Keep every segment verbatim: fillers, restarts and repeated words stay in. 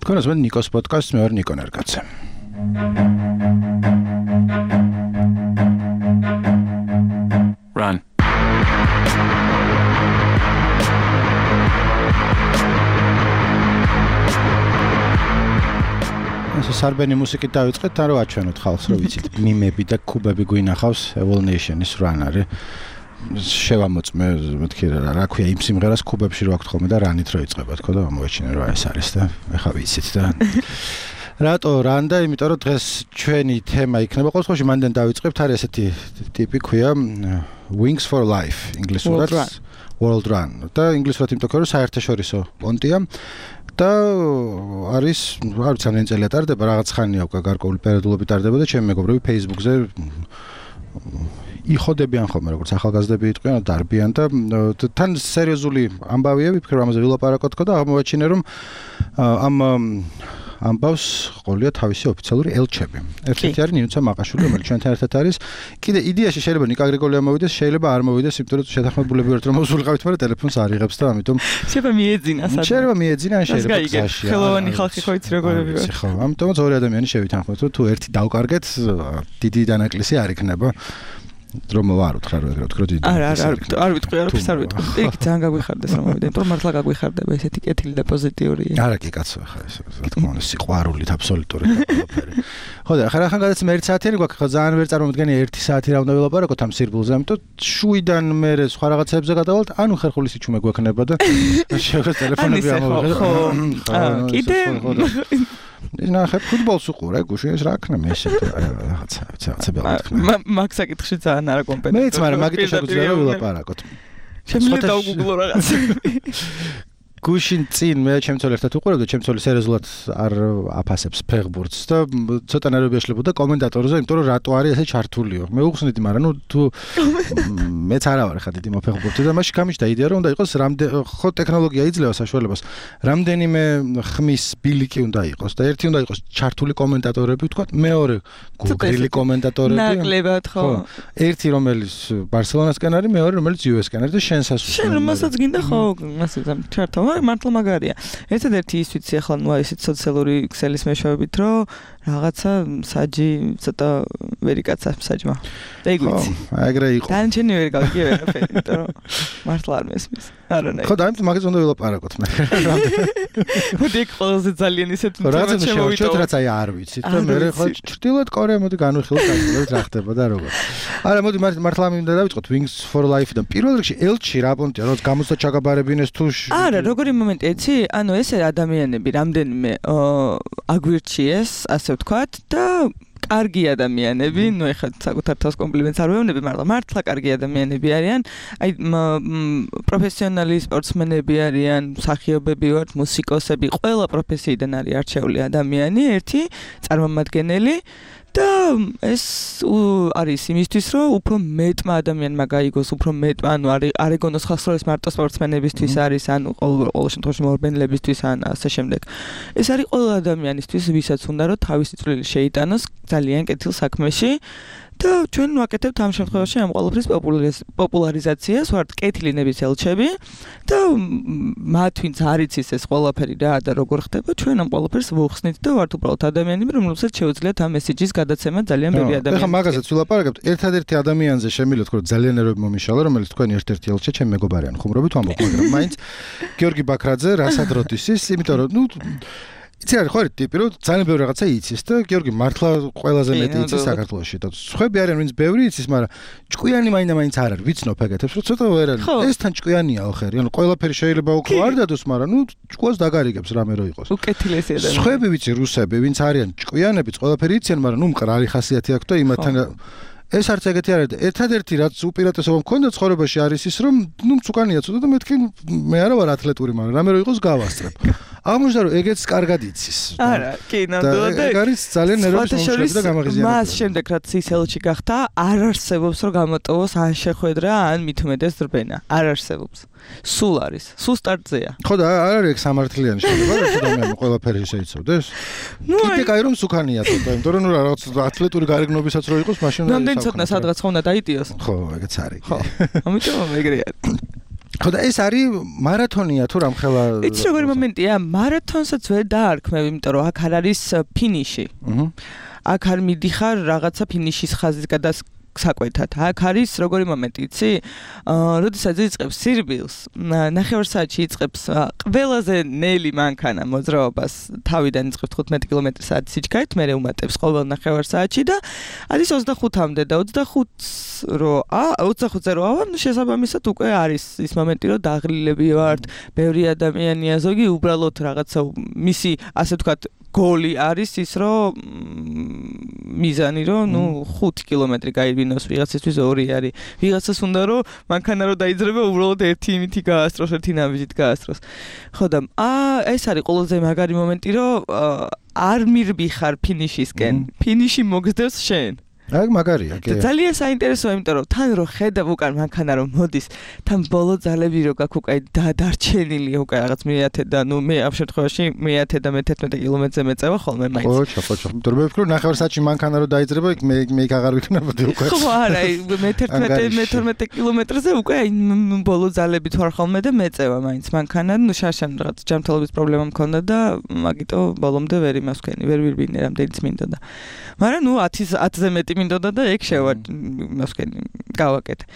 თქვენს მე ნიკოს პოდკასტს მე ვარ ნიკო ნერგაცე. Run. ეს სარბენი მუსიკით დავიწყეთ, თან რომ აჩვენოთ ხალხს, რომ ვიცით, მიმები და კუბები გვინახავს Evil Nation-ის Run არის. შევამოწმე, მეთქი რა, რა ქვია, იმ სიმღერას კუბებში რო აქვს ხოლმე და რანით რო იწყება, თქო და მოეჩინე რა ეს არის და ეხა ვიცით და რატო Run და იმიტომ რომ დღეს ჩვენი თემა იქნება ყოველ შემთხვევაში მანდ დავიწყებთ არის ესეთი ტიპი ქვია Wings for Life ინგლისურად World Run და ინგლისურად იმიტომ რომ საერთაშორისო პონტია და არის არ ვიცი რამდენი წელია ტარდება რაღაც ხანია უკვე გარკვეული პერიოდულობით ტარდება და ჩემი მეგობრები Facebook-ზე იხოდებიან ხოლმე როგორც ახალგაზრდები იტყვიან დარბიან და თან სერიოზული ამბავია ვიფიქრე ამაზე ვილაპარაკოთ თქო და აღმოაჩინე რომ ამ ამბავს ყოლია თავისი ოფიციალური ელჩები. ერთ-ერთი არის ნინუცა მაყაშვილი, რომელიც ჩვენთან ერთად არის. კიდე იდეაში შეიძლება ნიკა გრიგოლია მოვიდეს, შეიძლება არ მოვიდეს, იმიტომ რომ შეთანხმებულები ვართ რომ მოსულიყავით, მაგრამ ტელეფონს არ იღებს და ამიტომ შეიძლება მიეძინა სადღაც. შეიძლება მიეძინა, ან შეიძლება გზაში. ხელოვანი ხალხი ხო იცი როგორები ვარ. ხო, ამიტომაც ორი ადამიანი შევითანხმოთ, რომ თუ ერთი დავკარგეთ, დიდი დანაკლისი არ იქნება. რომ ვარ უთხრა რომ ეგრე ვთქრო დიდი. არა, არა, არ ვიტყვი, არ ვფის არ ვიტყვი. იქ ძალიან გაგვიხარდეს რომ მოვიდე, იმიტომ რომ მართლა გაგვიხარდება ესეთი კეთილი და პოზიტიური. არა კი კაცო, ხა ეს რა თქმა უნდა სიყვარულით აბსოლუტური ყველაფერი. ხო და ხა რახან გადაц მე ერთი საათიანი გვაქვს, ხა ძალიან ვერ წარმოვიდგენი ერთი საათი რა უნდა ველაპარაკოთ ამ სირბულზე, ამიტომ შვიდან მე სხვა რაღაცებზე გადავალთ, ანუ ხერხული სიჩუმე გვექნება და შევღეთ ტელეფონები ამოვიღეთ. ხო, კიდე ნახე ფუტბოლს უყურე, გუშინ ეს რა ქნა მე ესე რაღაცა, რაღაცა ბელათქნა. მაგ საკითხში ძალიან არა კომპეტენტური. მეც მაგრამ მაგით შეგვიძლია რომ ვილაპარაკოთ. შემიძლია დავგუგლო რაღაც. გუშინ წინ მე ჩემცოლ ერთად უყურებ და ჩემცოლი სერიოზულად არ აფასებს ფეხბურთს და ცოტა ნერვები ეშლებოდა კომენტატორზე, იმიტომ რომ რატო არის ესე ჩართულიო. მე უხსნიდი, მაგრამ ნუ თუ მეც არა ვარ ხა დიდი მოფეხბურთი და მაშინ გამიჩნდა იდეა რომ უნდა იყოს რამდენი ხო ტექნოლოგია იძლევა საშუალებას. რამდენიმე ხმის ბილიკი უნდა იყოს და ერთი უნდა იყოს ჩართული კომენტატორები, ვთქვა, მეორე გუგრილი კომენტატორები. ნაკლებად ხო. ერთი რომელიც ბარსელონასკენ არის, მეორე რომელიც იუ ეს-კენ არის და შენსაც უცნაური. შენ მასაც გინდა ხო, მასე ჩართო მართლა მაგარია. ერთადერთი ის ვიცი ახლა ნუ ისეთ სოციალური ქსელის მეშვეობით რომ რაღაცა საჯი ცოტა ვერიკაცა საჯმა. და იქ ვიცი. ხო, ეგრე იყო. დანჩენი ვერ გავიგე ვერაფერი, იმიტომ რომ მართლა არ მესმის. არანაირ. ხო, და ამით მაგას უნდა ვილაპარაკოთ მე. მოდი ყველაზე ძალიან ისეთ თემას შემოვიდეთ, რაც აი არ ვიცით და მე ხო ჩრდილოეთ კორეა მოდი განვიხილოთ განვიხილოთ რა ხდება და როგორ. არა, მოდი მართლა მინდა დავიწყოთ Wings for Life და პირველ რიგში ელჩი რა პონტია, რომ გამოსა ჩაგაბარებინეს თუ არა, როგორი მომენტი ეცი? ანუ ესე ადამიანები რამდენიმე აგვირჩიეს, ასე ვთქვათ და კარგი ადამიანები, ნუ ეხლა საკუთარ თავს კომპლიმენტს არ ვეუბნები, მაგრამ მართლა კარგი ადამიანები არიან. აი პროფესიონალი სპორტსმენები არიან, მსახიობები ვართ, მუსიკოსები, ყველა პროფესიიდან არის არჩეული ადამიანი, ერთი წარმომადგენელი და ეს არის იმისთვის, რომ უფრო მეტმა ადამიანმა გაიგოს, უფრო მეტმა, ანუ არ ეგონოს ხალხს, რომ ეს მარტო სპორტსმენებისთვის არის, ანუ ყოველ შემთხვევაში მორბენლებისთვის ან ასე შემდეგ. ეს არის ყველა ადამიანისთვის, ვისაც უნდა რომ თავისი წვლილი შეიტანოს ძალიან კეთილ საქმეში. და ჩვენ ვაკეთებთ ამ შემთხვევაში ამ ყველაფრის პოპულარიზაციას, ვართ კეთილინების ელჩები და მათ ვინც არ იცის ეს ყველაფერი რა და როგორ ხდება, ჩვენ ამ ყველაფერს ვუხსნით და ვართ უბრალოდ ადამიანები, რომლებსაც შეუძლიათ ამ მესეჯის გადაცემა ძალიან ბევრი ადამიანი. ეხლა მაგასაც ვილაპარაკებთ, ერთადერთი ადამიანზე შემიძლია თქო ძალიან ნერვები მომიშალა, რომელიც თქვენი ერთ-ერთი ელჩი ჩემი მეგობარია, ხუმრობით ვამბობ, მაგრამ მაინც გიორგი ბაქრაძე რასადროთისის, იმიტომ რომ ნუ იცი არის ხო ტიპი რომ ძალიან ბევრი რაღაცა იცის და გიორგი მართლა ყველაზე მეტი იცის საქართველოში და სხვები არიან ვინც ბევრი იცის, მაგრამ ჭკვიანი მაინდა მაინც არ არის, ვიცნობ ეგეთებს, რომ ცოტა ვერ არის. ეს თან ჭკვიანია ოხერი, ანუ ყველაფერი შეიძლება უკვე არ დადოს, მაგრამ ნუ ჭკვას დაგარიგებს რამე რო იყოს. უკეთილესი ადამიანი. სხვები ვიცი რუსები, ვინც არიან ჭკვიანებიც, ყველაფერი იციან, მაგრამ ნუ მყრალი ხასიათი აქვს და იმათთან ეს არც ეგეთი არ არის. ერთადერთი რაც უპირატესობა მქონდა ცხოვრებაში არის ის, რომ ნუ მწუკანია ცოტა და მეთქი მე არა ვარ ათლეტური, მაგრამ რამე რო იყოს გავასწრებ. აღმოჩნდა რომ ეგეც კარგად იცის. არა, კი, ნამდვილად. და ეგ არის ძალიან ნერვების მომშლელი და გამაღიზიანებელი. მას შემდეგ რაც ის ელჩი გახდა, არ არსებობს რომ გამოტოვოს ან შეხვედრა, ან მithumedes რბენა. არ არსებობს. სულ არის. სულ სტარტზეა. ხო და არ არის ეგ სამართლიანი შეიძლება რომ ადამიანმა ყველაფერი შეიცავდეს. კიდე კაი რომ სუქანია ცოტა, იმიტომ რომ რაღაც ათლეტური გარეგნობისაც რო იყოს, მაშინ ნამდვილად ცოტა სადღაც ხომ უნდა დაიტიოს. ხო, ეგეც არის. ხო. ამიტომ ეგრე არის. ხო და ეს არის მარათონია თუ რამხელა იცი როგორი მომენტია მარათონსაც ვერ დაარქმევ იმიტომ რომ აქ არ არის ფინიში აქ არ მიდიხარ რაღაცა ფინიშის ხაზის გადას საკვეთად. აქ არის როგორი მომენტი, იცი? აა, როდესაც იწყებს სირბილს, ნახევარ საათში იწყებს ყველაზე ნელი მანქანა მოძრაობას, თავიდან იწყებს თხუთმეტი კილომეტრი საათის სიჩქარით, მერე უმატებს ყოველ ნახევარ საათში და არის ოცდახუთამდე და ოცდახუთს რო ა ოცდახუთზე რო ავა, ნუ შესაბამისად უკვე არის ის მომენტი, რომ დაღლილები ვართ, ბევრი ადამიანია, ზოგი უბრალოდ რაღაცა მისი, ასე ვთქვათ, გოლი არის ის რომ მიზანი რომ ნუ ხუთი კილომეტრი გაივინოს ვიღაცისთვის ორი არის ვიღაცას უნდა რომ მანქანა რო დაიძრება უბრალოდ ერთი იმითი გაასწროს ერთი ნაბიჯით გაასწროს ხო და აა ეს არის ყველაზე მაგარი მომენტი რომ არ მირბიხარ ფინიშისკენ ფინიში მოგზდევს შენ აი მაგარია კი ძალიან საინტერესოა იმიტომ რომ თან რო ხედავ უკან მანქანა რომ მოდის თან ბოლო ძალები რო გაქვს უკვე დარჩენილი უკვე რაღაც მეათე და ნუ მე ამ შემთხვევაში მეათე და მეთერთმეტე კილომეტრზე მეწევა ხოლმე მაინც ხო ხო ხო იმიტომ რომ მე ვფიქრობ ნახევარ საათში მანქანა რო დაიძრება იქ მე მე აღარ ვიქნებოდი უკვე ხო არა მეთერთმეტე მეთორმეტე კილომეტრზე უკვე ბოლო ძალებით ვარ ხოლმე და მეწევა მაინც მანქანა ნუ შაშან რაღაც ჯანმრთელობის პრობლემა მქონდა და მაგიტო ბოლომდე ვერ იმასქენი ვერ ვირბინე რამდენიც მინდა და მაგრამ ნუ ათზე მეტი მინდოდა და ეგ შევარ მასკენი გავაკეთე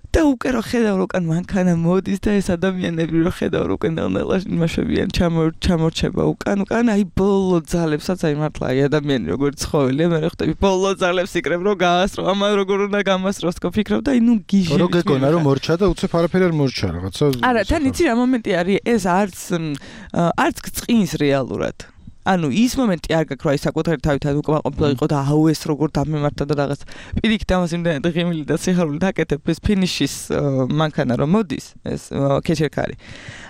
და უკვე რო ხედავ როკან მანქანა მოდის და ეს ადამიანები რო ხედავ როკან ნელა იმაშებიან ჩამორჩება უკან უკან აი ბოლო ძალებსაც აი მართლა აი ადამიანი როგორ ცხოველია მე ხტები ბოლო ძალებს იკრებ რო გაასრო ამან როგორ უნდა გამასროს თქო ფიქრობ და აი ნუ გიჟი რო გეკონა რომ მორჩა და უცებ არაფერი არ მორჩა რაღაცა არა თან იცი რა მომენტი არის ეს არც არც წყინს რეალურად ანუ ის მომენტი არ გაქვს რა ის საკუთარი თავიდან უკმაყოფილო იყო და აუ ეს როგორ დამემართა და რაღაც პირიქით ამას იმდენად ღიმილი და სიხარული დაკეთებ ეს ფინიშის მანქანა რომ მოდის ეს ქეჩერკარი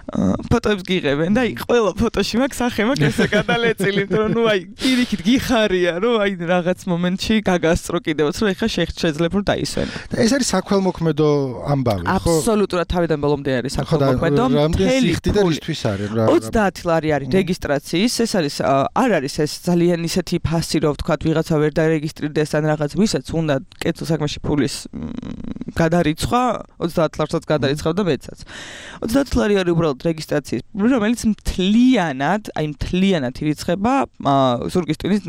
ფოტოებს გიღებენ და აი ყველა ფოტოში მაქვს სახე მაქვს ესე გადალეწილი რომ ნუ აი პირიქით გიხარია რომ აი რაღაც მომენტში გაგასწრო კიდევაც რომ ეხა შეიძლება რომ დაისვენ და ეს არის საქველმოქმედო ამბავი ხო აბსოლუტურად თავიდან ბოლომდე არის საქველმოქმედო მთელი ხდიდარისთვის არის რა ოცდაათი ლარი არის რეგისტრაციის ეს არის არ არის ეს ძალიან ისეთი ფასი რომ ვთქვათ ვიღაცა ვერ დარეგისტრირდეს ან რაღაც ვისაც უნდა კეცო საქმეში ფულის გადარიცხვა ოცდაათ ლარსაც გადარიცხავ და მეცაც ოცდაათი ლარი არის უბრალოდ რეგისტრაციის რომელიც მთლიანად აი მთლიანად ირიცხება ზურგის ტვინის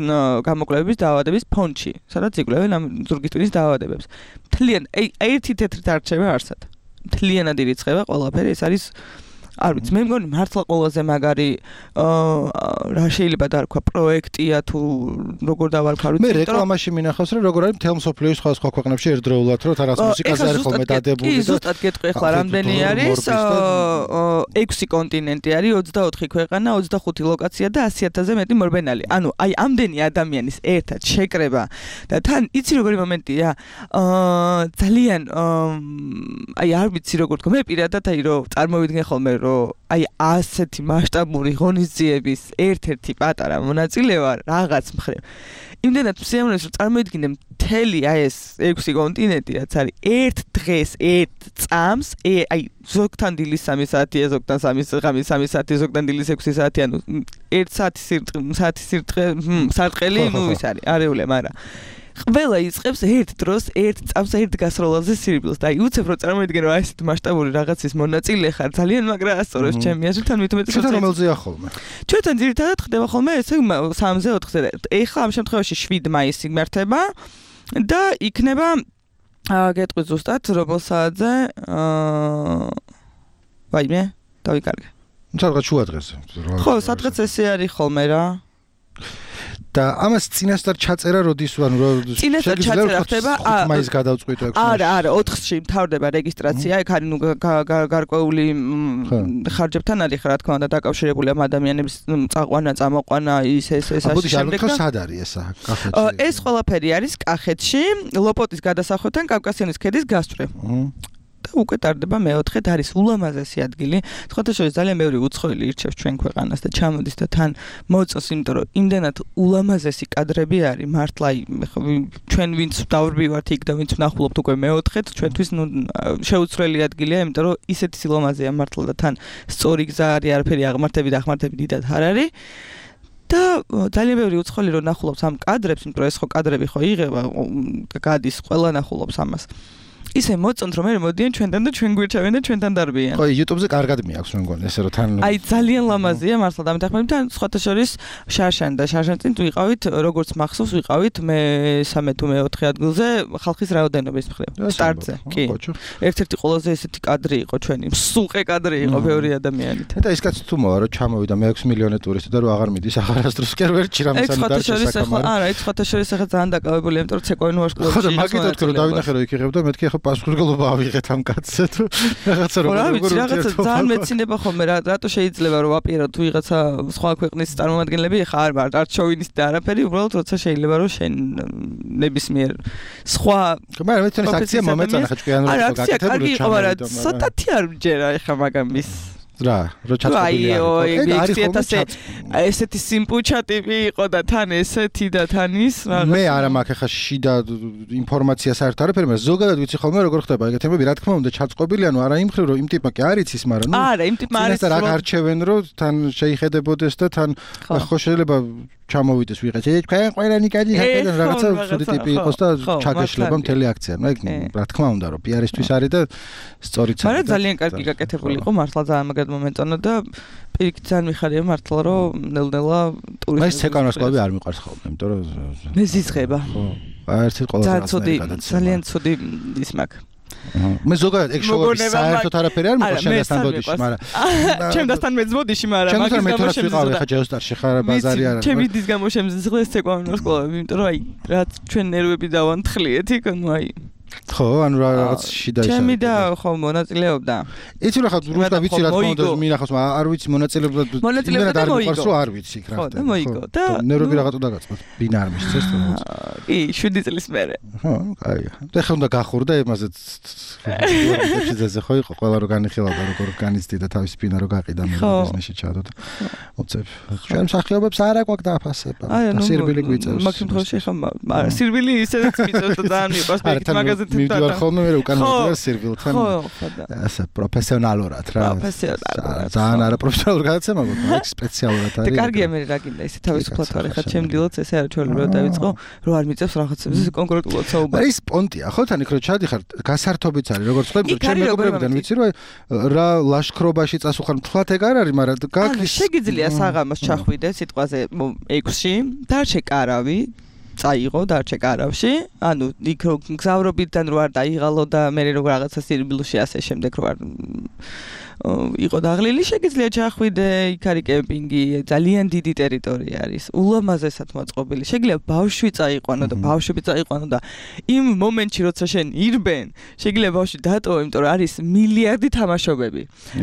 გამოკვლევების დაავადების ფონდში სადაც იკვლევენ ამ ზურგის ტვინის დაავადებებს მთლიან ერთი თეთრი დარჩება არსად მთლიანად ირიცხება ყველაფერი ეს არის არ ვიცი მე მგონი მართლა ყველაზე მაგარი რა შეიძლება დარქვა პროექტია თუ როგორ დავარქვა მე რეკლამაში მინახავს რომ როგორ არის მთელ მსოფლიოს სხვა სხვა ქვეყნებში ერთდროულად რომ რაღაც მუსიკაზე არის ხოლმე დადებული და ზუსტად გეტყვი ახლა რამდენი არის ექვსი კონტინენტი არის ოცდაოთხი ქვეყანა ოცდახუთი ლოკაცია და ასი ათასზე მეტი მორბენალი ანუ აი ამდენი ადამიანის ერთად შეკრება და თან იცი როგორი მომენტია ძალიან აი არ ვიცი როგორ თქვა მე პირადად აი რომ წარმოვიდგენ ხოლმე რომ აი ასეთი მასშტაბური ღონისძიების ერთ-ერთი პატარა მონაწილე ვარ რაღაც მხრივ. იმდენად მსიამოვნებს რომ წარმოიდგინე მთელი აი ეს ექვსი კონტინენტი რაც არის ერთ დღეს ერთ წამს აი ზოგთან დილის სამი საათია ზოგთან სამი ღამის სამი საათი ზოგთან დილის ექვსი საათი ანუ ერთ საათი საათი სარტყელი ნუ ის არის არეულე მაგრამ ყველა იწყებს ერთ დროს ერთ წამს ერთ გასროლაზე სირბილს და აი უცებ რომ წარმოიდგენ რომ აი ესეთ მასშტაბური რაღაცის მონაწილე ხარ ძალიან მაგრა ასწორებს ჩემი აზრით თან მით უმეტეს ჩვენ რომელზეა ხოლმე ჩვენთან ძირითადად ხდება ხოლმე ესე სამზე ოთხზე ეხლა ამ შემთხვევაში შვიდი მაისი მართება და იქნება გეტყვი ზუსტად რომელ საათზე ვაიმე დავიკარგე სადღაც შუა დღეზე ხო სადღაც ესე არის ხოლმე რა და ამას წინასწარ ჩაწერა როდის ანუ რო წინასწარ ჩაწერა ხდება მაის გადავწყვიტო ექვსი არა არა ოთხში მთავრდება რეგისტრაცია ეგ არის ნუ გარკვეული ხარჯებთან არის რა თქმა უნდა დაკავშირებული ამ ადამიანების წაყვანა წამოყვანა ის ეს ეს ასე შემდეგ და სად არის ესა კახეთში ეს ყველაფერი არის კახეთში ლოპოტის გადასახევთან კავკასიონის ქედის გასწვრივ და უკვე ტარდება მეოთხედ არის ულამაზესი ადგილი. სხვათა შორის ძალიან ბევრი უცხოელი ირჩევს ჩვენ ქვეყანას და ჩამოდის და თან მოწოს, იმიტომ რომ იმდენად ულამაზესი კადრები არის. მართლა ჩვენ ვინც დავრბივართ იქ და ვინც ვნახულობთ უკვე მეოთხედ, ჩვენთვის ნუ შეუცვლელი ადგილია, იმიტომ რომ ისეთი სილამაზეა მართლა და თან სწორი გზა არის, არაფერი აღმართები და აღმართები დიდად არ არის. და ძალიან ბევრი უცხოელი რო ნახულობს ამ კადრებს, იმიტომ რომ ეს ხო კადრები ხო იღება და გადის ყველა ნახულობს ამას. ისე მოწონთ რომ მე მოდიან ჩვენთან და ჩვენ გვირჩევენ და ჩვენთან დარბიან. ხო, YouTube-ზე კარგად მიაქვს მე მგონი, ესე რომ თან აი ძალიან ლამაზია მართლა დამეთანხმებით თან სხვათა შორის შარშან და შარშან წინ ვიყავით როგორც მახსოვს ვიყავით მე სამე თუ მეოთხე ადგილზე ხალხის რაოდენობის მხრივ. სტარტზე. კი. ერთ-ერთი ყველაზე ესეთი კადრი იყო ჩვენი. მსუყე კადრი იყო ბევრი ადამიანით. და ის კაცი თუ მოვა რომ ჩამოვიდა მე ექვსი მილიონი ტურისტი და რომ აღარ მიდის აღარასდროს კი არ ვერჩი რამე სამ დარჩა საკამარი. არა, ეს სხვათა შორის ახლა ძალიან დაკავებულია, იმიტომ რომ ცეკვავინო ვარსკვლავში. ხო და მაგითაც რომ დავინახე რომ იქ იღებდა მეთქი ახლა პასუხისმგებლობა ავიღეთ ამ კაცზე თუ რაღაცა რომ როგორ რაღაცა ძალიან მეცინება ხოლმე რა რატო შეიძლება რომ ვაპიროთ თუ ვიღაცა სხვა ქვეყნის წარმომადგენლები ხა არ ვარ არ შოვინისტი და არაფერი უბრალოდ როცა შეიძლება რომ შენ ნებისმიერ სხვა მაგრამ მე თვითონ აქცია მომეწონა ხა ჭკვიანური რა გაკეთებული ჩამოვიდა არა ცოტათი არ მჯერა ეხა მაგამის რა რო ჩაწყობილი არის ეგ არის ესეთი სიმპუჩა ტიპი იყო და თან ესეთი და თან ის რაღაც მე არა მაქვს ახლა შიდა ინფორმაცია საერთოდ არაფერი მაგრამ ზოგადად ვიცი ხოლმე როგორ ხდება ეგ თემები რა თქმა უნდა ჩაწყობილი ანუ არა იმ ხრივ რომ იმ ტიპმა კი არ იცის მაგრამ ნუ არა იმ ტიპმა არის რა გარჩევენ რომ თან შეიხედებოდეს და თან ხო შეიძლება ჩამოვიდეს ვიღაც ეს თქვენ ყველანი კადი ხარდან რაღაცა ცუდი ტიპი იყოს და ჩაგეშლება მთელი აქცია ნუ ეგ რა თქმა უნდა რომ პიარისთვის არის და სწორიც არის მაგრამ ძალიან კარგი გაკეთებული იყო მართლა ძალიან მაგად მომეწონა და პირიქით ძალიან მიხარია მართლა რომ ნელ-ნელა ტურისტები მე ცეკვანოს კლუბი არ მიყვარს ხოლმე იმიტომ რომ მე ზიზღება ხო ერთი ყველაზე ცუდი ძალიან ცუდი ის მაქვს მე ზოგადად ეგ შოუები საერთოდ არაფერი არ მიყვარს შემდასთან ბოდიში მაგრამ შემდასთან მეც ბოდიში მაგრამ მაგის გამო შემზღლა ხა ჯეოსტარში ხარ ბაზარი არ არის ჩემი დის გამო შემზღლა ცეკვანოს კლუბი იმიტომ რომ აი რაც ჩვენ ნერვები დავანთხლიეთ იქ ნუ აი ხო, ანუ რაღაც შიდა ისაა. ჩემი და ხო მონაწილეობდა. იცი რა ხა რუსკა ვიცი რა თქმა უნდა მინახავს, მაგრამ არ ვიცი მონაწილეობდა. მონაწილეობდა და მოიგო. ხო, არ ვიცი რა. ხო, და მოიგო. და ნერვები რაღაცა დაგაწმა. ბინა არ მისცეს და რაღაც. კი, შვიდი წლის მერე. ხო, კაია. და ხა უნდა გახურდა იმაზეც. შეძეზე ხო იყო, ყველა რო განიხილავდა, როგორ განიცდი და თავის ბინა რო გაყიდა მე ბიზნესში ჩადო და უცებ. ჩვენ მსახიობებს არა გვაქვს დააფასება. სირბილი გვიწევს. მაგ შემთხვევაში ხა არა, სირბილი ისედაც მიწევს და ძალიან მიყვარს მაგაზე მივდივარ ხოლმე მე უკან მოვიდარ სერვილთან ასე პროფესიონალურად რა პროფესიონალურად ძალიან არა პროფესიონალურ გადაცემა მაგრამ სპეციალურად არის და კარგია მე რა გინდა ისე თავისუფლად ვარ ხა ჩემ დილოც ესე არ ჩვეულებრივ დავიწყო რომ არ მიწევს რაღაცებზე კონკრეტულად საუბარი ის პონტია ხო თან იქ რო ჩადიხარ გასართობიც არის როგორც ხვდები ჩემ მეგობრებიდან ვიცი რომ რა ლაშქრობაში წასულხარ მთლად ეგ არ არის მაგრამ გაქრის შეგიძლია საღამოს ჩახვიდე სიტყვაზე ექვსში და შეკარავი წაიღო დარჩე კარავში, ანუ იქ რო გზავრობიდან რო არ დაიღალო და მე რო რაღაცა სირბილუში ასე შემდეგ რო არ იყო დაღლილი, შეგიძლია ჩახვიდე, იქ არის კემპინგი, ძალიან დიდი ტერიტორია არის, ულამაზესად მოწყობილი. შეგიძლია ბავშვი წაიყვანო და ბავშვები წაიყვანო და იმ მომენტში როცა შენ ირბენ, შეგიძლია ბავშვი დატოვო, იმიტომ რომ არის მილიარდი თამაშობები.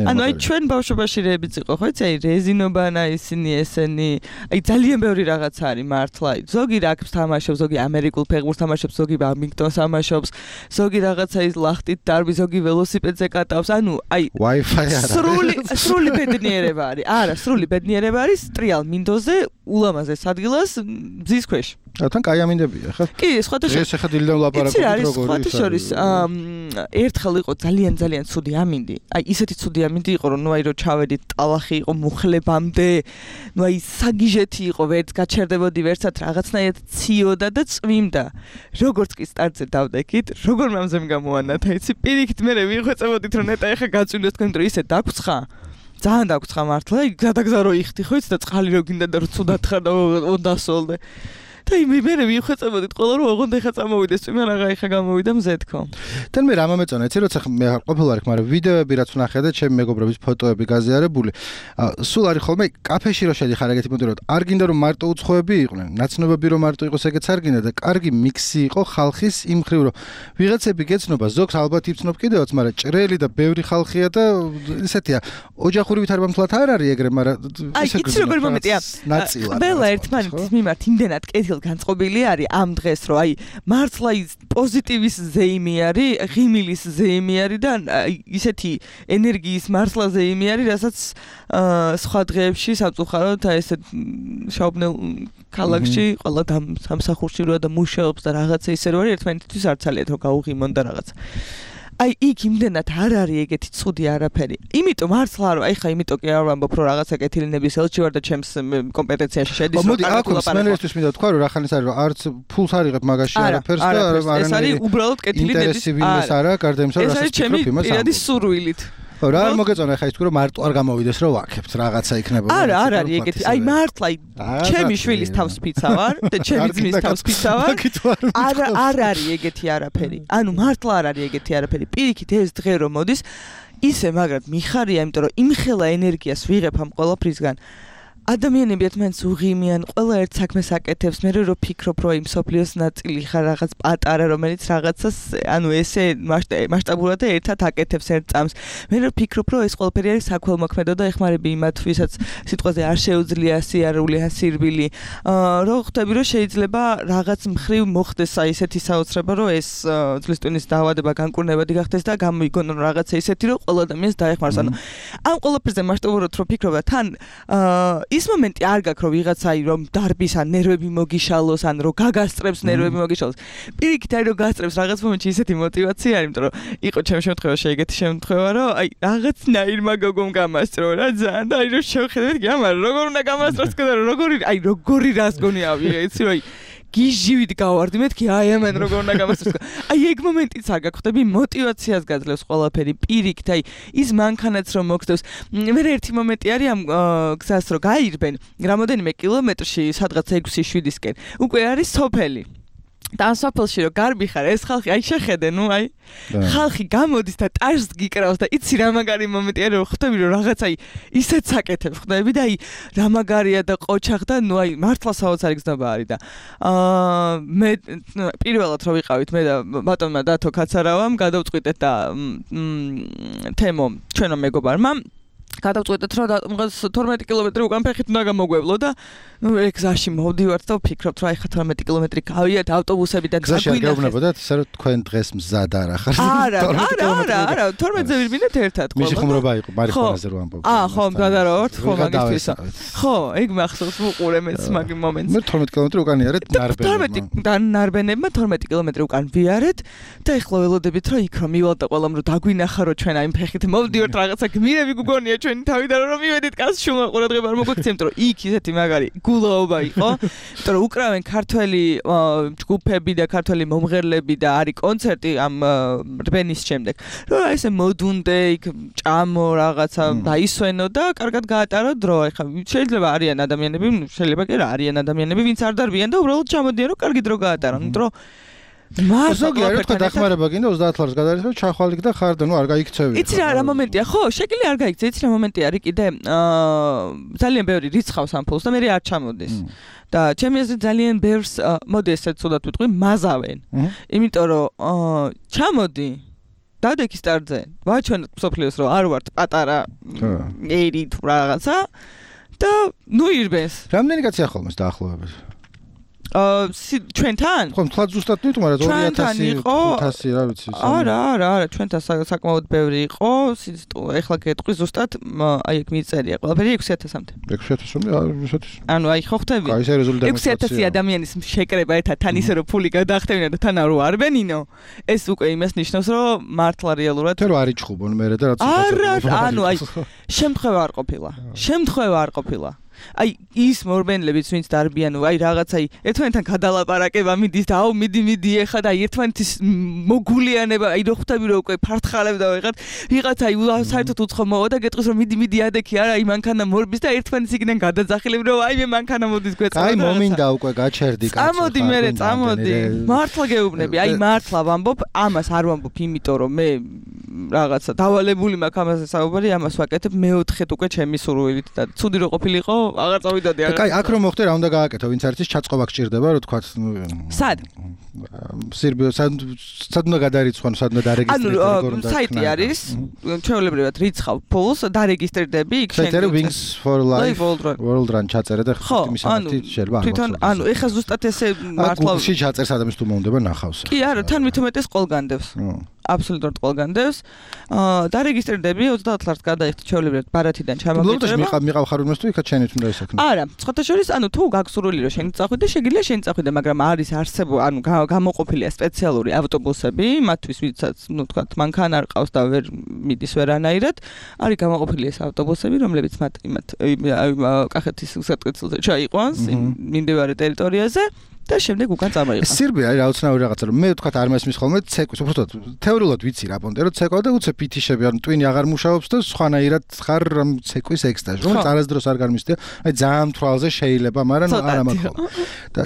ანუ აი ჩვენ ბავშვობაში რეებიც იყო, ხო იცი, აი რეზინობანა ისინი ესენი, აი ძალიან ბევრი რაღაცა არის მართლა. ზოგი რაგბს თამაშობს, ზოგი ამერიკულ ფეხბურთს თამაშობს, ზოგი ბადმინტონს თამაშობს, ზოგი რაღაცა ის ლახტით დარბი, ზოგი ველოსიპედზე კატავს. ანუ აი Wi-Fi სრული სრული ბედნიერება არის. არა, სრული ბედნიერება არის ტრიალ მინდოზე ულამაზეს ადგილას მზის ქვეშ. თან კაი ამინდებია ხა? კი, სხვათა შორის. ეს ახლა დილიდან ვლაპარაკობთ როგორ ის არის. სხვათა შორის ერთხელ იყო ძალიან ძალიან ცუდი ამინდი. აი ისეთი ცუდი ამინდი იყო, რომ ნუ აი რო ჩავედით ტალახი იყო მუხლებამდე, ნუ აი საგიჟეთი იყო, ვერც გაჩერდებოდი, ვერცად რაღაცნაირად ციოდა და წვიმდა. როგორც კი სტარტზე დავდექით, როგორ მამზემ გამოანათა, იცი, პირიქით მე ვიხვეწებოდით, რომ ნეტა ეხა გაწვიმდეს თქვენ, რომ ისე დაგცხა. ძალიან დაგცხა მართლა, გადაგზა რო იხდი, ხო იცი და წყალი რო გინდა და რო ცუდად ხარ და ოდასოლდე. და მე მე ვიხვეწებოდით ყველა რომ ოღონდ ეხა წამოვიდეს წვიმა რაღა ეხა გამოვიდა მზე თქო. თან მე რა მომეწონა, იცი როცა მე ყოფილი ვარ, მაგრამ ვიდეოები რაც ვნახე და ჩემი მეგობრების ფოტოები გაზიარებული, სულ არის ხოლმე კაფეში რო შედიხარ ეგეთი მომენტი რომ არ გინდა რომ მარტო უცხოები იყვნენ, ნაცნობები რომ მარტო იყოს ეგეც არ გინდა და კარგი მიქსი იყო ხალხის იმ ხრივ რომ ვიღაცები გეცნობა, ზოგს ალბათ იცნობ კიდევაც, მაგრამ ჭრელი და ბევრი ხალხია და ესეთია. ოჯახური ვითარება მთლად არ არის ეგრე, მაგრამ აი იცი როგორ მომენტია. ყველა ერთმანეთის მიმართ იმდენად კეთილ განწყობილი არის ამ დღეს რომ აი მართლა ის პოზიტივის ზეიმი არის, ღიმილის ზეიმი არის და ისეთი ენერგიის მართლა ზეიმი არის, რასაც სხვა დღეებში სამწუხაროდ აი ესე შაუბნელ ქალაქში ყველა სამსახურში როა და მუშაობს და რაღაცა ისე რო არის ერთმანეთთვის არ ცალიათ რომ გაუღიმონ და რაღაცა. აი იქ იმდენად არ არის ეგეთი ცუდი არაფერი. იმიტომ მართლა რომ აი ხა იმიტომ კი არ ვამბობ რომ რაღაცა კეთილინების ელჩი ვარ და ჩემს კომპეტენციაში შედის რომ კარგად ლაპარაკო. მინდა თქვა რომ რა ხანის არის რომ არც ფულს არ იღებ მაგაში არაფერს და არ ეს არის უბრალოდ კეთილინების ინტერესიბილეს არა გარდა იმისა რომ რასაც ვფიქრობ იმას ამბობ. ეს არის სურვილით. ხო რა არ მოგეწონა ხა ის თქვი რომ მარტო არ გამოვიდეს რომ ვაკებთ რაღაცა იქნება. არა არ არის ეგეთი. აი მართლა ჩემი შვილის თავს ფიცა ვარ და ჩემი ძმის თავს ფიცა ვარ. არა არ არის ეგეთი არაფერი. ანუ მართლა არ არის ეგეთი არაფერი. პირიქით ეს დღე რომ მოდის ისე მაგრამ მიხარია იმიტომ რომ იმხელა ენერგიას ვიღებ ამ ყველაფრისგან. ადამიანები ერთმანეთს უღიმიან, ყველა ერთ საქმეს აკეთებს, მე რო ფიქრობ, რომ იმ სოფლიოს ნაწილი ხარ რაღაც პატარა, რომელიც რაღაცას, ანუ ესე მასშტაბურად ერთად აკეთებს ერთ წამს. მე რო ფიქრობ, რომ ეს ყველაფერი არის საქველმოქმედო და ეხმარები იმათ, ვისაც სიტყვაზე არ შეუძლია სიარული ან სირბილი. რო ხვდები, რომ შეიძლება რაღაც მხრივ მოხდეს აი ესეთი საოცრება, რომ ეს ძვლის ტვინის დაავადება განკურნებადი გახდეს და გამოიგონო რაღაცა ისეთი, რომ ყველა ადამიანს დაეხმაროს. ანუ ამ ყველაფერზე მასშტაბურად რო ფიქრობ და თან ის მომენტი არ გაქვს რომ ვიღაცა რომ დარბის ან ნერვები მოგიშალოს ან რომ გაგასწრებს ნერვები მოგიშალოს. პირიქით აი რომ გასწრებს რაღაც მომენტში ისეთი мотиваცია არის, იმიტომ რომ იყო ჩემ შემთხვევაში ეგეთი შემთხვევა რომ აი რაღაცნაირმა გოგომ გამასწრო რა ძალიან და აი რომ შევხედეთ გამარ როგორ უნდა გამასწროს და როგორი აი როგორი რას გონია ვიღე იცი რომ აი გიჟივით გავარდი მეთქი აი ამან როგორ უნდა გამასწროს. აი ეგ მომენტიც არ გახვდები мотиваციას გაძლევს ყველაფერი პირიქით აი ის მანქანაც რომ მოგწევს. მე ერთი მომენტი არის ამ გზას რომ გაირბენ რამოდენიმე კილომეტრში სადღაც ექვსი შვიდისკენ უკვე არის სოფელი. და სოფელში რომ გარბი ხარ ეს ხალხი აი შეხედე ნუ აი ხალხი გამოდის და ტაშს გიკრავს და იცი რა მაგარი მომენტი არის რომ ხვდები რომ რაღაც აი ისეთ საკეთებს ხვდები და აი რა მაგარია და ყოჩახ და ნუ აი მართლა საოცარი გზნობა არის და აა მე პირველად რომ ვიყავით მე და ბატონმა დათო კაცარავამ გადავწყვიტეთ და თემო ჩვენო მეგობარმა გადავწყვეტეთ რომ თორმეტი კილომეტრი უკან ფეხით უნდა გამოგვევლო და ნუ ეგ გზაში მოვდივართ და ვფიქრობთ რომ აი ხა თორმეტი კილომეტრი გავიართ ავტობუსებიდან გზაში არ გავნებოდათ ისე რომ თქვენ დღეს მზად არ ახართ არა არა არა არა თორმეტზე ვირბინეთ ერთად ხო მისი ხუმრობა იყო მარიხონაზე რო ამბობ აა ხო მზადარავთ ხო მაგისთვის ხო ეგ მახსოვს ვუყურე მეც მაგ მომენტს მე თორმეტი კილომეტრი უკან იარეთ ნარბენებმა და ნარბენებმა თორმეტი კილომეტრი უკან ვიარეთ და ეხლა ველოდებით რომ იქ რომ მივალ და ყველამ რომ დაგვინახა რომ ჩვენ აი ფეხით მოვდივართ რაღაცა გმირები გუგონია ჩვენი თავიდან რომ მივედით კაცშულა ყურადღება არ მოგვექცემთ რომ იქ ისეთი მაგარი გულაობა იყო იმიტომ რომ უკრავენ ქართველი ჯგუფები და ქართველი მომღერლები და არის კონცერტი ამ რბენის შემდეგ რომ ესე მოდუნდე იქ ჭამო რაღაცა დაისვენო და კარგად გაატარო დრო ეხლა შეიძლება არიან ადამიანები შეიძლება კი რა არიან ადამიანები ვინც არ დარბიან და უბრალოდ ჩამოდიან რომ კარგი დრო გაატარონ დრო ზოგიერთი თქვა დახმარება გინდა ოცდაათ ლარს გადაარიხო ჩახვალიქ და ხარ და ნუ არ გაიქცევი. იცი რა რა მომენტია ხო შეკილი არ გაიქცე იცი რა მომენტი არის კიდე აა ძალიან ბევრი რიცხავს ამ ფულს და მე არ ჩამოდეს. და ჩემი აზრით ძალიან ბევრს მოდი ესე ცუდად ვიტყვი მაზავენ. იმიტომ რომ ჩამოდი დადექი სტარტზე ვაჩვენოთ სოფლიოს რომ არ ვართ პატარა ერი თუ რაღაცა და ნუ ირბენს. რამდენი კაცია ხოლმე დაახლოებით? აა ჩვენთან? ხო, თქვა ზუსტად ნუ თუმცა ორი ათასი ხუთასი რა ვიცი. არა, არა, არა, ჩვენთან საკმაოდ ბევრი იყო. ეხლა გეტყვი ზუსტად, აი ეგ მიწერია ყველაფერი ექვსი ათასამდე. ექვსი ათასამდე, ექვსი ათასი. ანუ აი ხო ხვდები? აი ეს რეზულტატი. ექვსი ათასი ადამიანის შეკრება ერთად თან ისე რომ ფული გადაახტევინა და თან არ ვარბენინო. ეს უკვე იმას ნიშნავს, რომ მართლა რეალურად თუ არ იჭხუბონ მე და რაც არა, ანუ აი შემთხვევა არ ყოფილა. შემთხვევა არ ყოფილა. აი ის მორბენლებიც ვინც დარბიან აი რაღაცა ერთმანეთთან გადალაპარაკება მიდის და აუ მიდი მიდი ეხა და ერთმანეთის მოგულიანება აი რო ხვდები რომ უკვე ფართხალებ და ვიღაც ვიღაც აი საერთოდ უცხო მოვა და გეტყვის რომ მიდი მიდი ადექი არა აი მანქანა მორბის და ერთმანეთს იქიდან გადაძახილებ რომ აი მე მანქანა მოდის გვეწევა აი მომინდა უკვე გაჩერდი კაცო წამოდი მერე წამოდი მართლა გეუბნები აი მართლა ვამბობ ამას არ ვამბობ იმიტომ რომ მე რაღაცა დავალებული მაქვს ამაზე საუბარი ამას ვაკეთებ მეოთხეთ უკვე ჩემი სურვილით და ცუდი რო ყოფილიყო აღარ წავიდოდი არა. კაი, აქ რომ მოხდე რა უნდა გააკეთო, ვინც არის ჩაწყობა გჭირდება, რომ თქვა სად? სირბიო, სად სად უნდა გადარიცხონ, სად უნდა დარეგისტრირდეს, როგორ უნდა? ანუ საიტი არის, ჩვეულებრივად რიცხავ ფულს, დარეგისტრირდები, იქ შენ. საიტი Wings for Life World Run ჩაწერე და იმის ამათი შეიძლება არ თვითონ, ანუ ეხა ზუსტად ესე მართლა გუგლში ჩაწერს ადამიანს თუ მომდება ნახავს. კი, არა, თან მით უმეტეს ყველგანდევს. აბსოლუტურად ყველგანდევს. აა დარეგისტრირდები ოცდაათ ლარს გადაიხდი ჩვეულებრივად ბარათიდან ჩამოგეჭრება. მიყავ მიყავ ხარ უმეს თუ იქა ჩენით უნდა ისაქნო. არა, სხვათა შორის, ანუ თუ გაქვს სურვილი რომ შენ წახვიდე, შეგიძლია შენ წახვიდე, მაგრამ არის არსებო, ანუ გამოყოფილია სპეციალური ავტობუსები, მათთვის ვისაც, ну, თქვათ, მანქანა არ ყავს და ვერ მიდის ვერანაირად, არის გამოყოფილი ეს ავტობუსები, რომლებიც მათ იმათ კახეთის სატკეცილზე ჩაიყვანს მიმდებარე ტერიტორიაზე. და შემდეგ უკან წამოიღო. სირბი არის რაოცნაური რაღაცა, რომ მე თქვა არ მესმის ხოლმე ცეკვის, უბრალოდ თეორიულად ვიცი რა პონტე, რომ ცეკვა და უცებ ფითიშები, ანუ ტვინი აღარ მუშაობს და სხვანაირად ხარ ცეკვის ექსტაზი, რომელიც არასდროს არ გამისდია. აი ძალიან თვალზე შეიძლება, მაგრამ არა მაქვს. და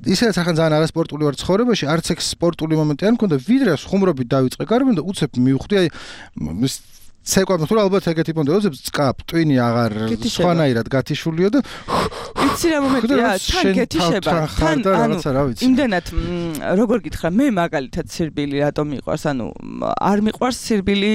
ისედაც ახლა ძალიან არასპორტული ვარ ცხოვრებაში, არც ეგ სპორტული მომენტი არ მქონდა, ვიდრე ხუმრობით დავიწყე გარბენ და უცებ მივხვდი აი ცეკვა თუ ალბათ ეგეთი პონტე, უცებ წკაპ, ტვინი აღარ სხვანაირად გათიშულიო და იცი რა მომენტია, თან გეთიშება, თან რაღაცა რა ვიცი. იმდენად როგორ გითხრა, მე მაგალითად სირბილი რატომ მიყვარს, ანუ არ მიყვარს სირბილი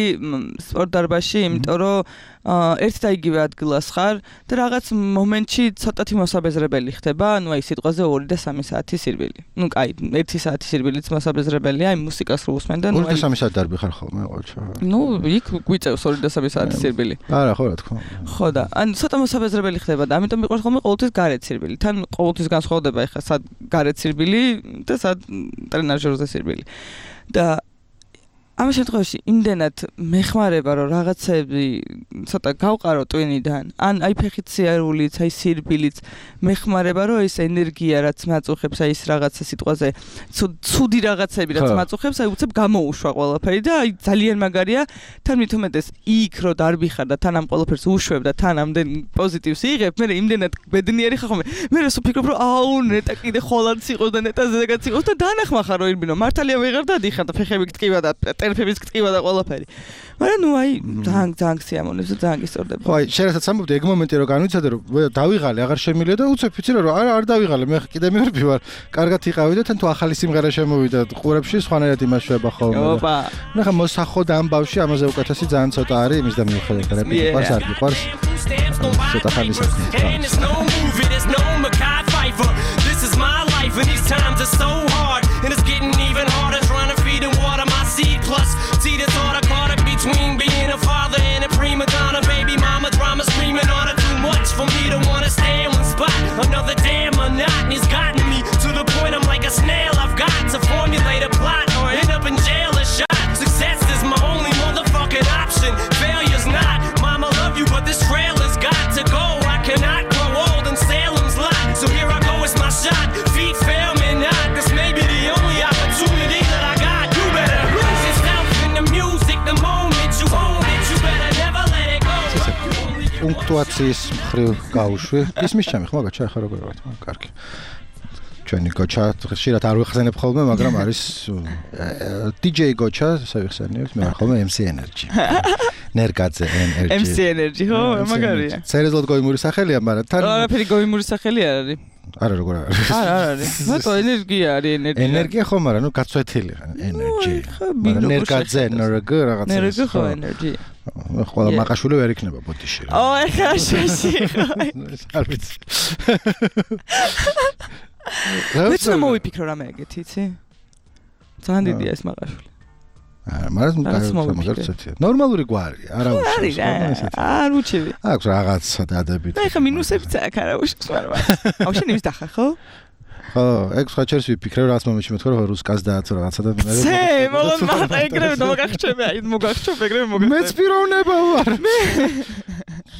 სპორტ დარბაზში, იმიტომ რომ ერთ და იგივე ადგილას ხარ და რაღაც მომენტში ცოტათი მოსაბეზრებელი ხდება, ანუ აი სიტყვაზე ორი და სამი საათი სირბილი. ნუ კაი, ერთი საათი სირბილიც მოსაბეზრებელია, აი მუსიკას რო უსმენ და ნუ ორი და სამი საათი დარბი ხარ ხოლმე ყოველთვის. ნუ იქ გვიწევს ორი და სამი საათი სირბილი. არა, ხო რა თქმა უნდა. ხო და ანუ ცოტა მოსაბეზრებელი ხდება და ამიტომ მიყვარს ხოლმე ყოველთვის გარეთ სირბილი. თან ყოველთვის განსხვავდება ეხლა სად გარეთ სირბილი და სად ტრენაჟერზე სირბილი. და ამ შემთხვევაში იმდენად მეხმარება რომ რაღაცები ცოტა გავყარო ტვინიდან, ან აი ფეხით სიარულიც, აი სირბილიც მეხმარება რომ ეს ენერგია რაც მაწუხებს, აი ეს რაღაცა სიტყვაზე ცუდი რაღაცები რაც მაწუხებს, აი უცებ გამოუშვა ყველაფერი და აი ძალიან მაგარია, თან მით უმეტეს იქ რო დარბიხარ და თან ამ ყველაფერს უშვებ და თან ამდენ პოზიტივს იღებ, მე იმდენად ბედნიერი ხარ ხოლმე. მე რასო ფიქრობ რომ აუ ნეტა კიდე ხოლად იყოს და ნეტა ზეგაც იყოს და დანახმახარ რომ ირბინო მართალია ვეღარ დადიხარ და ფეხები გტკივა და ტერფების გტკივა და ყველაფერი. მაგრამ ნუ აი ძალიან ძალიან სიამოვნებს და ძალიან გისწორდება. ხო, აი შეიძლება სამბობდი ეგ მომენტი რომ განვიცადე რომ დავიღალე, აღარ შემილია და უცებ ვიცი რომ არა არ დავიღალე, მე კიდე მერბი ვარ. კარგად იყავი და თან თუ ახალი სიმღერა შემოვიდა ყურებში, სხვანაირად იმაშვება ხოლმე. ოპა. ნახა მოსახო და ამბავში ამაზე უკეთესი ძალიან ცოტა არის, იმის და მიუხედავად რეპეტი ყავს არ გიყვარს. ცოტა ხანი საქმე. This is my life and these times are so hard and it's getting even harder trying to feed and water my seed plus see the thought I caught it between being a father and a prima donna baby mama drama screaming on it too much for me to want to stay in one spot another damn monotony's gotten me to the point I'm like a snail I've got to formulate a plot or end up in jail or shot success is my only motherfucking option failure's not mama love you but this trail has got to go I cannot grow old in Salem's lot so here I go it's my shot feet fail me not this may be the only opportunity that I got you better lose yourself in the music the moment you own it you better never let it go პუნქტუაციის მხრივ გავუშვი ის მისჩამი ხო მაგაჩა ახლა როგორ ვარ კარგი ჩვენი გოჩა ხშირად არ ვიხსენებ ხოლმე მაგრამ არის დიჯეი გოჩა სავიხსენებთ მე ხოლმე ემ სი Energy ნერგაძე Energy ემ სი Energy ხო მაგარია სერიოზულად გოიმური სახელია მაგრამ თან არაფერი გოიმური სახელი არ არის არა როგორ არის არა არის მარტო ენერგია არის ენერგია ენერგია ხო მაგრამ ნუ გაცვეთილი Energy ნერგაძე Energy რაღაცა Energy ხო Energy ყველა მაყაშვილი ვერ იქნება ბოდიში რა ო ეხა შეში არ ვიცი მეც მოვიფიქრო რამე ეგეთი იცი ძალიან დიდია ეს მაყაშვილი არა მაგრამ მაგარცეთია ნორმალური გვარი არა უშავს არ უჩივი აქვს რაღაცა დადებით და ეხა მინუსებიც აქვს არა უშავს მაგრამ აუ შენ იმის დახარ ხო ხო ეგ სხვა ჩერს ვიფიქრე რაღაც მომენტში მეთქო რომ რუსკას დააცო რაღაცა და მე ცე მოგონ მაგ ეგრევე მოგახჩები აი მოგახჩობ ეგრევე მოგახჩობ მეც პიროვნება ვარ მე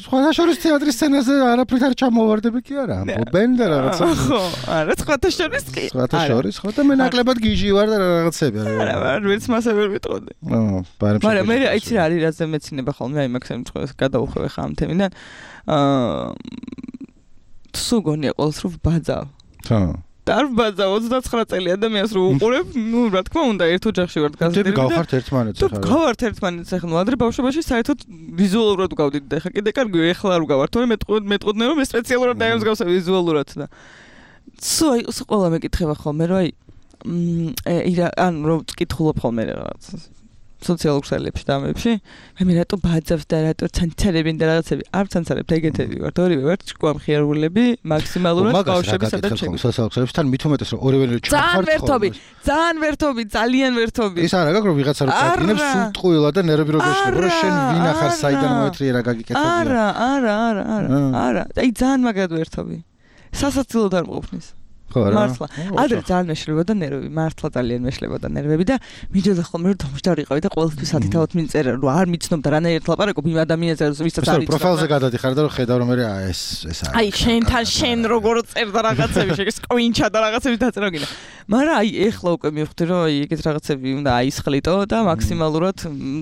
სხვათა შორის თეატრის სცენაზე არაფრით არ ჩამოვარდები კი არა ბენ და რაღაცა ხო არა სხვათა შორის კი სხვათა შორის ხო და მე ნაკლებად გიჟი ვარ და რაღაცები არა არა ვერც მასე ვერ ვიტყოდი მაგრამ მე აიცი რა არის რაზე მეცინება ხოლმე აი მაგ შემთხვევაში გადაუხვევ ხა ამ თემიდან აა სულ გონია ყოველს რომ ბაძავ ხო დარბაზა ოცდაცხრა წელი ადამიანს რო უყურებ, ნუ რა თქმა უნდა, ერთ ოჯახში ვართ გაზრდილი. და გავხართ ერთმანეთს ახლა. თუ გავართ ერთმანეთს ახლა, ნუ ადრე ბავშვობაში საერთოდ ვიზუალურად გავდით და ახლა კიდე კარგი ეხლა არ გავართ, თორემ მეტყოდნენ რომ მე სპეციალურად დაემსგავსა ვიზუალურად და სულ აი ყველა მეკითხება ხოლმე რომ აი ან რომ წკითხულობ ხოლმე რაღაცას. სოციალურ ქსელებში და ამებში მე რატო ბაძავს და რატო ცანცარებინ და რაღაცები არ ცანცარებ ეგეთები ვართ ორივე ვართ ჭკვამხიარულები მაქსიმალურად ბავშვები სადაც შეგ სოციალურ ქსელებში თან მით უმეტეს რომ ორივე ჩახართ ძალიან ვერთობი ძალიან ვერთობი ძალიან ვერთობი ის არა გაკრო ვიღაცა რო წაგინებს სულ ტყუილა და ნერვები რო გეშლება რომ შენ ვინახარ საიდან მოეთრიერა გაგიკეთებია არა არა არა არა არა აი ძალიან მაგრად ვერთობი სასაცილოდ არ მყოფნის ხო რა. მართლა. ადრე ძალიან მეშლებოდა ნერვები, მართლა ძალიან მეშლებოდა ნერვები და მიჯოდა ხოლმე რომ დამშტარიყავი და ყოველთვის ათი-ათი მინწერა რომ არ მიცნობდა რანაირად ლაპარაკობ იმ ადამიანზე ვისაც არ იცნობდა. პროფილზე გადადიხარ და რომ ხედავ რომ მე ეს ეს არის. აი შენთან შენ როგორ წერდა რაღაცები, შეგ სკრინჩა და რაღაცები დაწერა გინდა. მაგრამ აი ეხლა უკვე მივხვდი რომ აი ეგეთ რაღაცები უნდა აისხლიტო და მაქსიმალურად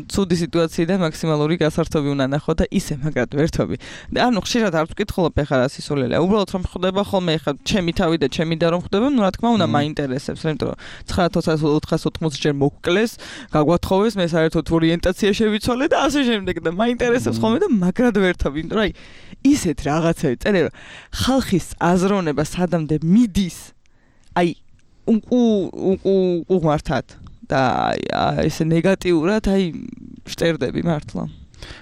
ცუდი სიტუაციიდან მაქსიმალური გასართობი უნდა ნახო და ისე მაგრად ვერთობი. ანუ ხშირად არ ვკითხულობ ეხლა რა სისულელია. უბრალოდ რომ ხდება ხოლმე ეხლა ჩემი თავი და ჩემი და რომ ხდება, ну რა თქმა უნდა მაინტერესებს, იმიტომ რომ ცხრა ათას ოთხასოთხმოცი ჯერ მოგკლეს, გაგვათხოვეს, მე საერთოდ ორიენტაცია შევიცვალე და ასე შემდეგ და მაინტერესებს ხოლმე და მაგრად ვერთობ, იმიტომ რომ აი ისეთ რაღაცები წერე რომ ხალხის აზროვნება სადამდე მიდის, აი უკუ უკუ უღმართად და აი ესე ნეგატიურად აი შტერდები მართლა.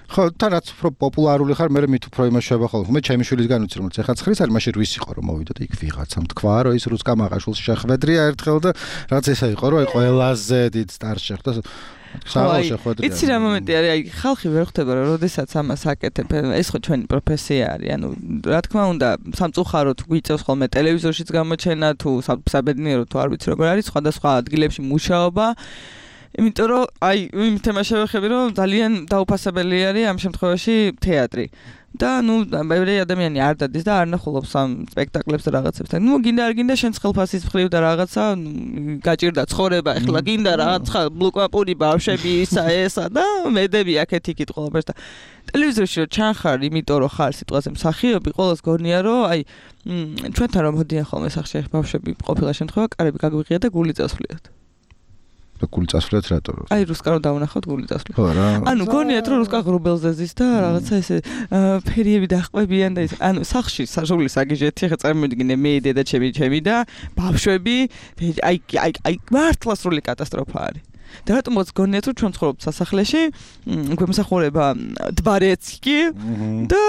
ხო, თან რაც უფრო პოპულარული ხარ, მე მით უფრო იმაშება ხოლმე. მე ჩემი შვილისგან ვიცი რომ ეხლა ცხრიც არის, მაშინ რვის იყო რომ მოვიდა და იქ ვიღაცამ თქვა რომ ის რუსკა მაყაშულს შეხვედრია ერთხელ და რაც ესა იყო რომ აი ყველაზე დიდ სტარს შეხვდა. საღოლ შეხვედრია. იცი რა მომენტი არის, აი ხალხი ვერ ხვდება რომ როდესაც ამას აკეთებ, ეს ხო ჩვენი პროფესია არის. ანუ რა თქმა უნდა, სამწუხაროდ გვიწევს ხოლმე ტელევიზორშიც გამოჩენა თუ საბედნიეროდ თუ არ ვიცი როგორ არის, სხვადასხვა ადგილებში მუშაობა. იმიტომ რომ აი იმ თემას შევეხები რომ ძალიან დაუფასებელი არის ამ შემთხვევაში თეატრი და ნუ ბევრი ადამიანი არ დადის და არ ნახულობს ამ სპექტაკლებს და რაღაცებს და ნუ გინდა არ გინდა შენ ხელფასის მხრივ და რაღაცა გაჭირდა ცხოვრება ეხლა გინდა რაღაცა ბლოკაპური ბავშვები ისა ესა და მედები აქეთ იქით ყველაფერს და ტელევიზორში რომ ჩანხარ იმიტომ რომ ხარ სიტყვაზე მსახიობი ყოველს გონია რომ აი ჩვენთან რომ მოდიან ხოლმე სახში ბავშვები ყოფილა შემთხვევა კარები გაგვიღია და გული წასვლიათ და გული წასვლიათ რატო? აი რუსკა რომ დავნახავთ გული წასვლი. ხო რა. ანუ გონიათ რომ რუსკა ღრუბელზე ზის და რაღაცა ესე ფერიები დახვევიან და ის ანუ სახში საჟული საგიჟეთი ხა წარმოიდგინე მე დედა ჩემი ჩემი და ბავშვები აი აი აი მართლა სრული კატასტროფა არის. და რატომაც გონიათ რომ ჩვენ ცხოვრობთ სასახლეში, გვემსახურება დბარეცკი და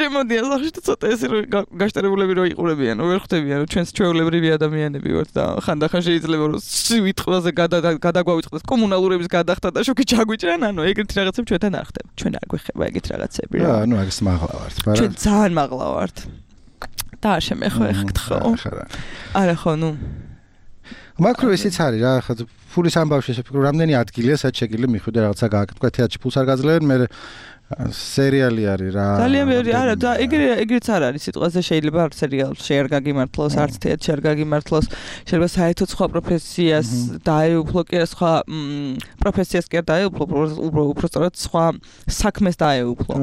შემოდიან სახში და ცოტა ესე გაშტერებულები რო იყურებიან, ვერ ხვდებიან რომ ჩვენს ჩვეულებრივი ადამიანები ვართ და ხანდახან შეიძლება რომ სვიტყვაზე გადაგვავიწყდეს კომუნალურების გადახდა და შოკი ჩაგვიჭრან, ანუ ეგეთი რაღაცები ჩვენთან არ ხდება. ჩვენ არ გვეხება ეგეთი რაღაცები რა. ანუ აგს მაღლა ვართ, მაგრამ ჩვენ ძალიან მაღლა ვართ. და არ შემეხო ეხ გთხო. არა ხო, ნუ მაკრო ისიც არის რა, ხა ფულის ამბავში შეფიქრო, რამდენი ადგილია სადაც შეგიძლია მიხვიდე რაღაცა გააკეთო, თეატრში ფულს არ გაძლევენ, მე სერიალი არის რა. ძალიან ბევრი არა და ეგრე ეგრეც არ არის სიტყვაზე შეიძლება არც სერიალში არ გაგიმართლოს, არც თეატრში არ გაგიმართლოს, შეიძლება საერთოდ სხვა პროფესიას დაეუფლო კი სხვა პროფესიას კი არ დაეუფლო, უბრალოდ სხვა საქმეს დაეუფლო.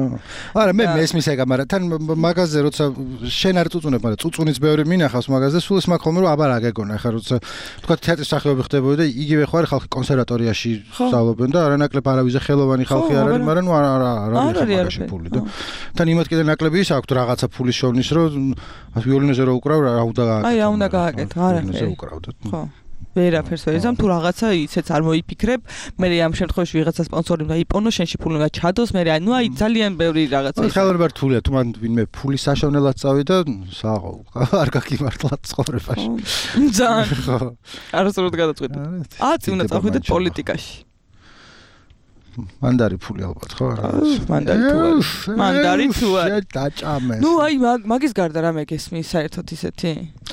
არა, მე მესმის ეგა, მაგრამ თან მაგაზე როცა შენ არ წუწუნებ, მაგრამ წუწუნიც ბევრი მინახავს მაგაზე, სულ ის მაგ ხოლმე რომ აბა რა გეგონა, ხა როცა თქვა თეატრის სახეობი ხდებოდა და იგივე ხო არის ხალხი კონსერვატორიაში სწავლობენ და არანაკლებ არავიზე ხელოვანი ხალხი არ არის, მაგრამ ნუ არა არ არის ფული და თან იმათ კიდე ნაკლები ის აქვს რაღაცა ფულის შოვნის რომ ვიოლინოზე რო უკრავ რა უნდა გააკეთო. აი რა უნდა გააკეთო, არაფერი. ხო. ვერაფერს ვერ იზამ თუ რაღაცა ისეც არ მოიფიქრებ, მე ამ შემთხვევაში ვიღაცა სპონსორი უნდა იპონო, შენში ფული უნდა ჩადოს, მე ანუ აი ძალიან ბევრი რაღაცა. ხელოვნება რთულია, თუ მან ვინმე ფულის საშოვნელად წავიდა, საღოლ არ გაგიმართლა ცხოვრებაში. ძალიან. ხო. არასდროს გადაწყვეტე. ათი უნდა წავიდეთ პოლიტიკაში. მანდარი ფული ალბათ ხო? მანდარი თუ არის. მანდარი თუ არის. დაჭამეს. ნუ აი მაგის გარდა რამე გესმის საერთოდ ისეთი?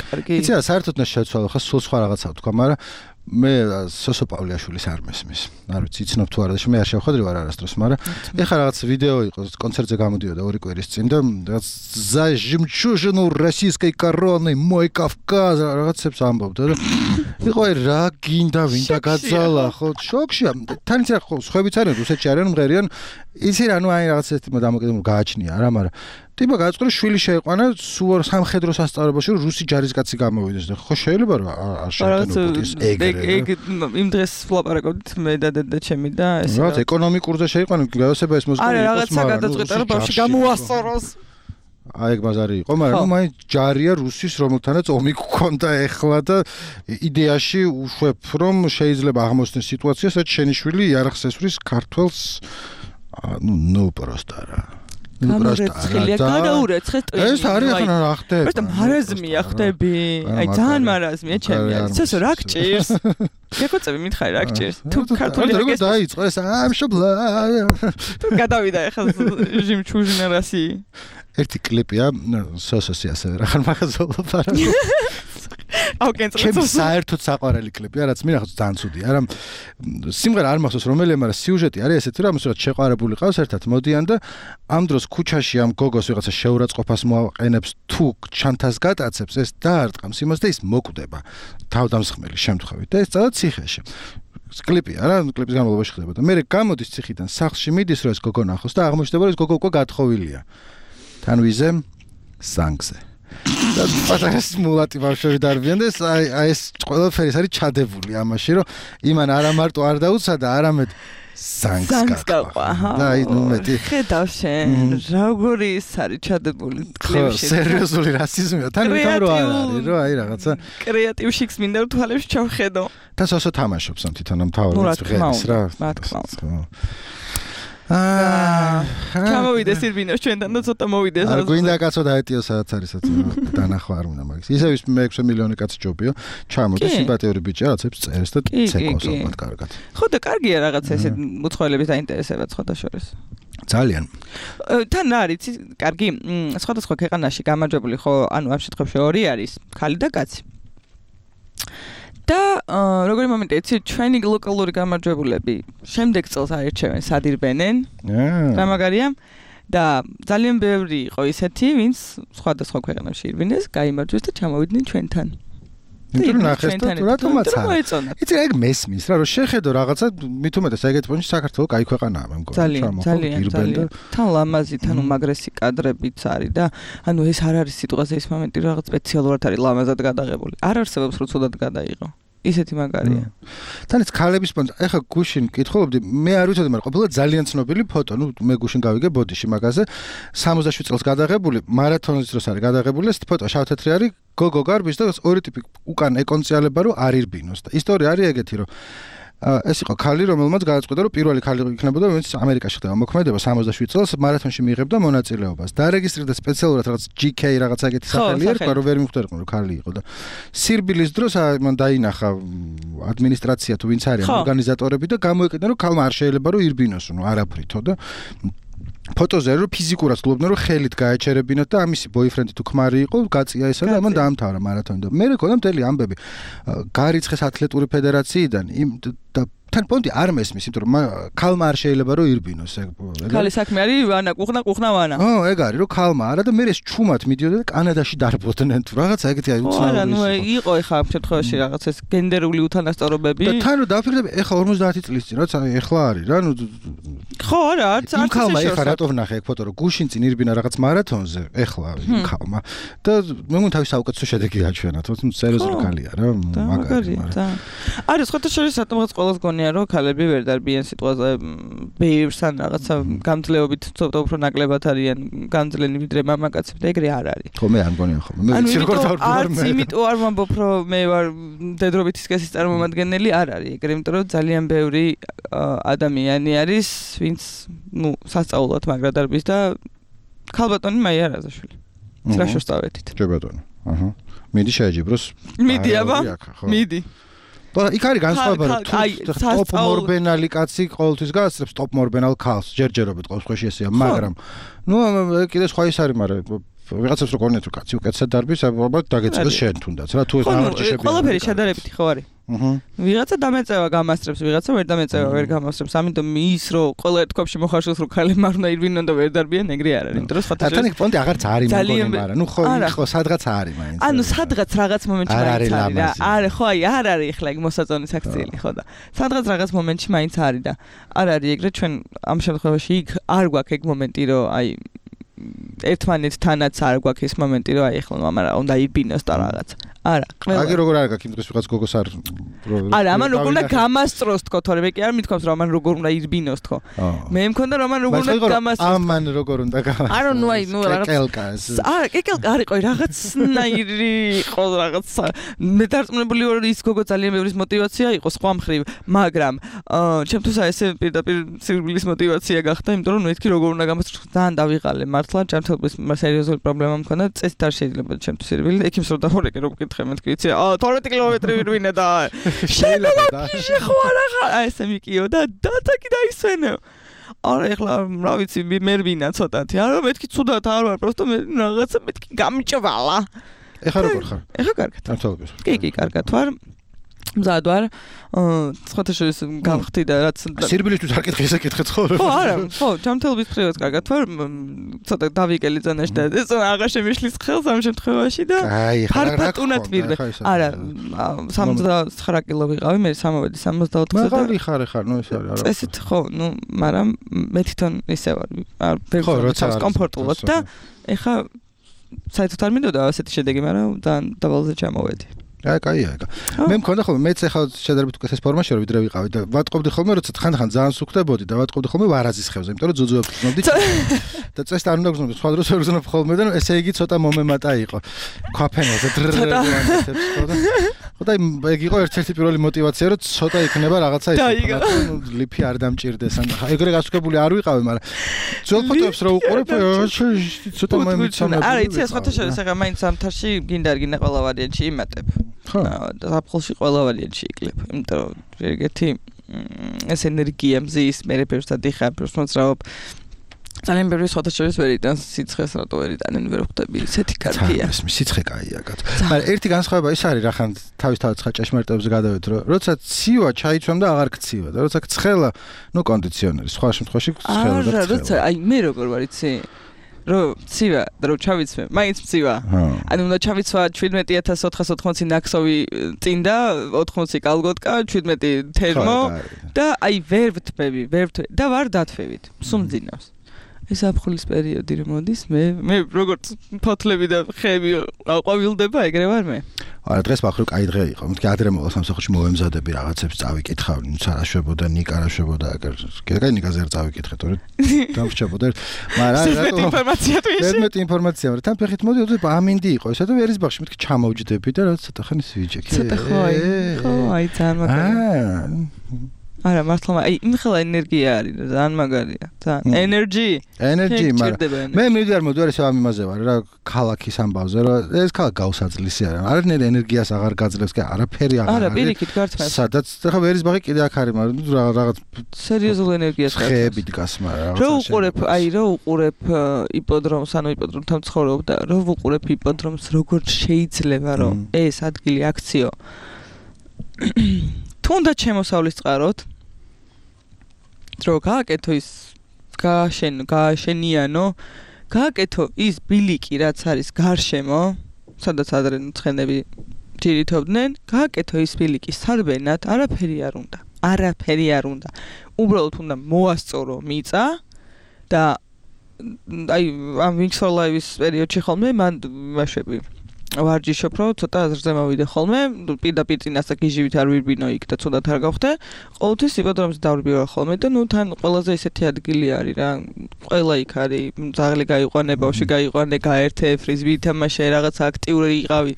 კარგი. იცი რა, საერთოდ ნაშეცვალო ხა სულ სხვა რაღაცა ვთქვა, მაგრამ მე სოსო პავლეაშვილის არ მესმის. არ ვიცი, იცნობ თუ არა და მე არ შევხვედრი ვარ არასდროს, მაგრამ ეხლა რაღაც ვიდეო იყო კონცერტზე გამოდიოდა ორი კვირის წინ და რაღაც за жемчужину российской короны мой Кавказ რაღაცებს ამბობდა და იყო რა გინდა ვინდა გაძალა ხო შოქშია თან იცი რა ხო სხვაებიც არიან რუსეთში არიან მღერიან იცი რა ნუ აი რაღაც ეს დამოკიდებულება გააჩნია არა მაგრამ ტიპა გაწყრო შვილი შეიყვანა სულ სამხედრო სასწავლებელში რომ რუსი ჯარისკაცი გამოვიდეს და ხო შეიძლება რომ არ შეიტანოს ეგრე ეგ იმ დღეს ვლაპარაკობდით მე და დედა ჩემი და ეს რა ეკონომიკურზე შეიყვანა გაოსება ეს მოზგო არა რაღაცა გადაწყვეტა რომ ბავშვი გამოასწოროს აი ეგ ბაზარი იყო მაგრამ ნუ მაინც ჯარია რუსის რომელთანაც ომი გქონდა ეხლა და იდეაში უშვებ რომ შეიძლება აღმოსჩნდეს სიტუაცია სადაც შენი შვილი იარაღს ესვრის ქართველს ну ну просто რა გამორეცხილია, გადაურეცხეს ტვინი. ეს არის ახლა რა ხდება? პროსტა მარაზმია ხდები. აი ძალიან მარაზმია ჩემი არის. ცესო რა გჭირს? შეგოწები მითხარი რა გჭირს? თუ ქართული როგორ დაიწყო ეს ამშობლა? გადავიდა ახლა ჟიმჩუჟნერასი. ერთი კლიპია სოსოსი ასევე რა ხარ მაგაზოლობ არა. აუ კენწრა. ჩემ საერთოდ საყვარელი კლიპია, რაც მინახავს ძალიან ცუდია. არა სიმღერა არ მახსოვს რომელია, მაგრამ სიუჟეტი არის ესეთი, რომ ამას რაც შეყვარებული ყავს ერთად მოდიან და ამ დროს ქუჩაში ამ გოგოს ვიღაცა შეურაცხყოფას მოაყენებს თუ ჩანთას გატაცებს, ეს დაარტყამს იმას და ის მოკვდება თავდამსხმელი შემთხვევით და ეს წავა ციხეში. კლიპი არა, კლიპის განმავლობაში ხდება და მე გამოდის ციხიდან სახლში მიდის რომ ეს გოგო ნახოს და აღმოჩნდება რომ ეს გოგო უკვე გათხოვილია. თან ვიზე სანგზე. და პატარა სმულატი ბავშვები დარბიან და აი აი ეს ყველაფერი არის ჩადებული ამაში რომ იმან არა მარტო არ დაუცადა, არამედ სანგს გაყვა. და აი ნუ მეტი ხედავ შენ როგორი ის არის ჩადებული კლიპში. სერიოზული რასიზმია. თან ვითომ რო არ არის, რომ აი რაღაცა კრეატივში მინდა რომ თვალებში ჩავხედო. და სოსო თამაშობს ამ თვითონ ამ თავის ღერს რა. რა თქმა უნდა. აა ჩამოვიდეს ირბინოს ჩვენთან და ცოტა მოვიდეს. არ გვინდა კაცო დაეტიო სადაც არის სადაც დანახვა არ უნდა მაგის. ისევ ის მეექვსე მილიონი კაცი ჯობიო. ჩამოდის სიმპათიური ბიჭი რაღაცებს წერს და ცეკოს ალბათ კარგად. ხო და კარგია რაღაცა ესე მოწყობილების დაინტერესება სხვათა შორის. ძალიან. თან რა არის კარგი სხვადასხვა ქვეყანაში გამარჯვებული ხო ანუ ამ შემთხვევაში ორი არის ქალი და კაცი. და როგორი მომენტია იცი ჩვენი ლოკალური გამარჯვებულები შემდეგ წელს აირჩევენ სადირბენენ რა მაგარია და ძალიან ბევრი იყო ისეთი ვინც სხვადასხვა ქვეყანაში ირბინეს გაიმარჯვეს და ჩამოვიდნენ ჩვენთან იმიტომ ნახეს და რატომაც არა იცი ეგ მესმის რა რომ შეხედო რაღაცა მით უმეტეს ეგეთ პონჩი საქართველოს კაი ქვეყანაა მე მგონი ძალიან ძალიან თან ლამაზი თან უმაგრესი კადრებიც არის და ანუ ეს არ არის სიტუაცია ის მომენტი რომ რაღაც სპეციალურად არის ლამაზად გადაღებული არ არსებობს რომ ცუდად გადაიღო ისეთი მაგარია. თან ის ქალების პონჩი ეხა გუშინ მკითხულობდი მე არ ვიცოდი მაგრამ ყოფილა ძალიან ცნობილი ფოტო ნუ მე გუშინ გავიგე ბოდიში მაგაზე სამოცდაშვიდ წელს გადაღებული მარათონის დროს არის გადაღებული ეს ფოტო შავ-თეთრი არის გოგო გარბის და ორი ტიპი უკან ეკონციალება რომ არ ირბინოს და ისტორია არის ეგეთი რომ ეს იყო ქალი რომელმაც გადაწყვიტა რომ პირველი ქალი იქნებოდა ვინც ამერიკაში ხდება მოქმედება სამოცდაშვიდ წელს მარათონში მიიღებდა მონაწილეობას დარეგისტრირდა სპეციალურად რაღაც ჯი კეი რაღაცა ეგეთი სახელი ერქვა რომ ვერ მიხვდერყო რომ ქალი იყო და სირბილის დროს მან დაინახა ადმინისტრაცია თუ ვინც არის ორგანიზატორები და გამოიყენა რომ ქალმა არ შეიძლება რომ ირბინოს ნუ არაფრითო და ფოტოზე რომ ფიზიკურად გლობდნენ რომ ხელით გაეჩერებინოთ და ამისი ბოიფრენდი თუ ქმარი იყო გაწია ესა და ამან დაამთავრა მარათონი და მე მეკონა მთელი ამბები გარიცხეს ათლეტური ფედერაციიდან იმ და თან პონტი არ მესმის იმიტომ რომ ქალმა არ შეიძლება რომ ირბინოს ეგ ქალის საქმე არის ვანა ყუხნა ყუხნა ვანა ო ეგ არის რომ ქალმა არა და მე ეს ჩუმად მიდიოდა და კანადაში დარბოდნენ თუ რაღაცა ეგეთი აი უცნაური არა ნუ იყო ეხა ამ შემთხვევაში რაღაც ეს გენდერული უთანასწორობები და თან რომ დაფიქრდები ეხა ორმოცდაათი წლის წინ რაც ეხლა არის რა ნუ ხო არა არც არც ქალმა ეხა რატო ვნახე ეგ ფოტო რომ გუშინ წინ ირბინა რაღაც მარათონზე ეხლა ქალმა და მე მგონი თავის საუკეთესო შედეგი გაჩვენა თუმცა სერიოზული ქალია რა მაგარია არის ხოთა შორის რატომღაც ყოველს გონია რომ ქალები ვერ დარბიან სიტუაციაზე ბევრს ან რაღაცა გამძლეობით ცოტა უფრო ნაკლებად არიან გამძლენი ვიდრე მამაკაცები და ეგრე არ არის ხო მე არ მგონია ხოლმე მე ვიცი როგორ დავბრუნარ მე იმიტომ არ ვამბობ რომ მე ვარ დედრობითი სქესის წარმომადგენელი არ არის ეგრე იმიტომ რომ ძალიან ბევრი ადამიანი არის ვინც ნუ სასწაულად მაგრა დარბის და ქალბატონი მაია არაზაშვილი რა შევსწავლეთით ჯერ ბატონო აჰა მიდი შეეჯიბროს მიდი აბა მიდი და იქ არის განსხვავება რომ ტოპ მორბენალი კაცი ყოველთვის გააცრებს ტოპ მორბენალ ქალს ჯერჯერობით ყოველ შემთხვევაში ესეა მაგრამ ნუ კიდე სხვა ის არის მაგრამ ვიღაცებს რო გონიათ რომ კაცი უკეთესად დარბის ალბათ დაგეწეს შენ თუნდაც რა თუ ეს გამარჯვებული ყველაფერი შედარებითი ხო არის აჰა ვიღაცა დამეწევა გამასწრებს ვიღაცა ვერ დამეწევა ვერ გამასწრებს ამიტომ ის რო ყველა ერთ კვებში მოხარშოს რომ ქალები არ უნდა ირბინონ და ვერ დარბიან ეგრე არ არის იმიტომ რომ სხვათა თან იქ პონტი აღარც არის მეგონი მაგრამ ნუ ხო ხო სადღაც არის მაინც ანუ სადღაც რაღაც მომენტში მაინც არის რა არა ხო აი არ არის ახლა ეგ მოსაწონის აქციელი ხო და სადღაც რაღაც მომენტში მაინც არის და არ არის ეგრე ჩვენ ამ შემთხვევაში იქ არ გვაქვს ეგ მომენტი რომ აი ერთმანეთთანაც არ გვაქვს ეს მომენტი რომ აი ახლა მამარა უნდა იბინოს და რაღაც არა, ყველა. აგი როგორ არ გაქვს იმ დღეს ვიღაც გოგოს არ არა, ამან როგორ უნდა გამასწროს თქო, თორე მე კი არ მithქვამს რომ ამან როგორ უნდა ირბინოს თქო. მე მქონდა რომ ამან როგორ უნდა გამასწროს. ამან როგორ უნდა გამასწროს. არა, ნუ აი, ნუ რაღაც კეკელკას. არა, კეკელკა არ იყო, რაღაცნაირი იყო რაღაც. მე დარწმუნებული ვარ ის გოგო ძალიან ბევრი მოტივაცია იყო სხვა მხრივ, მაგრამ ჩემთვის ესე პირდაპირ სირბილის მოტივაცია გახდა, იმიტომ რომ მეთქი როგორ უნდა გამასწროს. ძალიან დავიღალე მართლა, ჩემთვის სერიოზული პრობლემა მქონდა, წესით არ შეიძლება ჩემთვის სირბილი. ექიმს რო დახურეკე რომ მკითხე მეთქი, იცი, აა თორმეტი კილომეტრი ვირვინე და შეიძლება და შეხო არა ხარ, აი ესე მიკიო და დათაკი დაისვენო. არა ეხლა რა ვიცი მე რვინა ცოტათი, არა მეთქი ცუდად არ ვარ, просто მე რაღაცა მეთქი გამიჭვალა. ეხლა როგორ ხარ? ეხლა კარგად. ამთავრებს. კი, კი, კარგად ვარ. მზად ვარ. სხვათა შორის გავხდი და რაც სირბილისთვის არ კითხე, ესე კითხე ხო? ხო, არა, ხო, ჯანმრთელობის მხრივაც კარგად ვარ. ცოტა დავიკელი ზანაში და ეს აღარ შემიშლის ხელს ამ შემთხვევაში და ფარფატუნად ვირვე. არა, სამოცდათხრა კილო ვიყავი, მე სამოვედი სამოცდაოთხზე და მაგარი ხარ ხარ, ნუ ეს არის არა. წესით ხო, ნუ, მაგრამ მე თვითონ ისე ვარ. არ ვერცავს კომფორტულად და ეხა საერთოდ არ მინდოდა ასეთი შედეგი, მაგრამ ძალიან დაბალზე ჩამოვედი. აი, კაია, ეკა. მე მქონდა ხოლმე მეც ახლა შედარებით უკეთეს ფორმაში ვარ, ვიდრე ვიყავი და ვატყობდი ხოლმე, როცა ხანდახან ძალიან სუქდებოდი და ვატყობდი ხოლმე ვარაზის ხევზე, იმიტომ რომ ძუძუებს გზნობდი. და წესით არ უნდა გზნობდი, სხვა დროს ვერ გზნობ ხოლმე და ესე იგი ცოტა მომემატა იყო. ქვაფენელზე დრრრრრანეთებს ხო და ხო და ეგ იყო ერთ-ერთი პირველი მოტივაცია, რომ ცოტა იქნება რაღაცა ის. ლიფი არ დამჭირდეს, ან ეგრე გასუქებული არ ვიყავი, მაგრამ ძველ ფოტოებს რა უყურებ, ცოტა მომეცონა. არა, იცი, სხვათა შორის ახლა მაინც სამთარში გინდა არ გინდა ყველა ვარიანტი იმატებ. ხო, საფხულში ყველა ვარიანტი იკლებ, იმიტომ რომ ეგეთი ეს ენერგია მზის, მე რეპერსად იხარ, პროსმოცრავ ძალიან ბევრი სხვათა შორის ვერ იტანს სიცხეს, რატო ვერ იტანენ, ვერ ხვდები, ისეთი კარგია. ეს სიცხე კაია, კაცო. მაგრამ ერთი განსხვავება ის არის, რა ხან თავის-თავად ხა ჭეშმარიტებზე გადავით, რომ როცა ცივა ჩაიცვამ და აღარ გცივა და როცა ცხელა, ნუ კონდიციონერი, სხვა შემთხვევაში ცხელა და ცხელა. არა, როცა აი მე როგორ ვარ იცი? რო ცივა და რო ჩავიცვე, მაინც მცივა. ანუ უნდა ჩავიცვა შვიდმეტი ათას ოთხას ოთხმოცი ნაქსოვი წინ და ოთხმოცი კალგოტკა, შვიდმეტი თერმო და აი ვერ ვთმები, ვერ ვთმები და ვარ დათვევით. სუმძინავს. ეს აფხულის პერიოდი რომ მოდის, მე მე როგორც ფოთლები და ხეები აყვავილდება, ეგრე ვარ მე. არა, დღეს ბახრო კაი დღე იყო. მეთქი ადრე მოვალ სამსახურში მოვემზადები რაღაცებს წავიკითხავ, ნუ არა შვებოდა, ნიკა არა შვებოდა, ეგერ. კაი ნიკაზე არ წავიკითხე, თორე დამრჩებოდა. მაგრამ რატო ინფორმაცია თუ ისე? მეტ ინფორმაცია, მაგრამ თან ფეხით მოდი, ოდე ამინდი იყო, ესა და ვერის ბახში მეთქი ჩამოვჯდები და რა ცოტა ხანი ვიჯექი. ცოტა ხო აი, ხო აი ძალიან მაგარია. არა, მართლა აი იმხელა ენერგია არის, ძალიან მაგარია. ძალიან ენერგი. ენერგი, მაგრამ მე მივიდარ მოდივარ ესე ამ იმაზე ვარ რა, ქალაქის ამბავზე, რომ ეს ქალაქ გავსაძლისი არა. არანაირ ენერგიას აღარ გაძლევს, კი არაფერი აღარ არის. არა, პირიქით გართმევს. სადაც ხა ვერის ბაღი კიდე აქ არის, მაგრამ რაღაც სერიოზულ ენერგიას გართმევს. ხეები დგას, მაგრამ რა უყურებ, აი რა უყურებ იპოდრომს, ანუ იპოდრომთან ცხოვრობ და რა უყურებ იპოდრომს, როგორ შეიძლება რომ ეს ადგილი აქციო თუნდაც შემოსავლის წყაროთ რო გააკეთო ის გააშენო, გააშენიანო, გააკეთო ის ბილიკი, რაც არის გარშემო, სადაც ადრე ცხენები ჯირითობდნენ, გააკეთო ის ბილიკი სარბენად, არაფერი არ უნდა. არაფერი არ უნდა. უბრალოდ უნდა მოასწორო მიწა და აი ამ Wings for Life-ის პერიოდში ხოლმე მან მაშები ვარჯიშობ, რომ ცოტა აზრზე მოვიდე ხოლმე, პირდაპირ წინასწარ გიჟივით არ ვირბინო იქ და ცუდად არ გავხდე. ყოველთვის იპოდრომზე დავრბიო ხოლმე და ნუ თან ყველაზე ისეთი ადგილი არის რა. ყველა იქ არის, ძაღლი გაიყვანე, ბავშვი გაიყვანე, გაერთე, ფრიზბი ითამაშე, რაღაც აქტიური იყავი.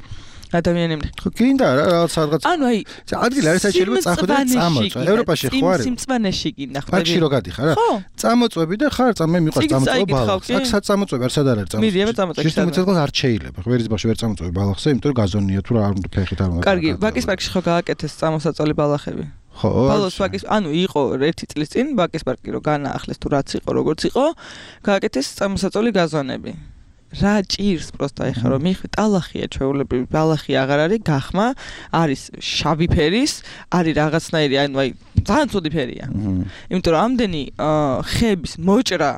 ადამიანები. ხო გინდა რა რაღაც რაღაც. ანუ აი, ადგილი არის შეიძლება წახვიდე და წამოწვა. ევროპაში ხო არის? სიმწვანეში გინდა ხვდები. პარკში რო გადიხარ რა? წამოწვები და ხარ წამე მიყვარს წამოწვა ბალახს. აქ საწამოწვები არ სადარ არის წამოწვა. მიდიება წამოწვები. შეიძლება მიცეცხლოს არ შეიძლება. ვერის ბავშვი ვერ წამოწვები ბალახზე, იმიტომ რომ გაზონია თუ რა არ უნდა ფეხით არ უნდა. კარგი, ბაკის პარკში ხო გააკეთეს წამოსაწოლი ბალახები? ხო. ბალოს ბაკის, ანუ იყო ერთი წლის წინ ბაკის პარკი რო განაახლეს თუ რაც იყო, როგორც იყო, გააკეთეს წამოსაწოლი გაზონები. რა ჭირს პროსტა ეხა რომ მიხ ტალახია ჩვეულებრივი ბალახი აღარ არის გახმა არის შავი ფერის არის რაღაცნაირი ანუ აი ძალიან ცუდი ფერია იმიტომ რომ ამდენი ხეების მოჭრა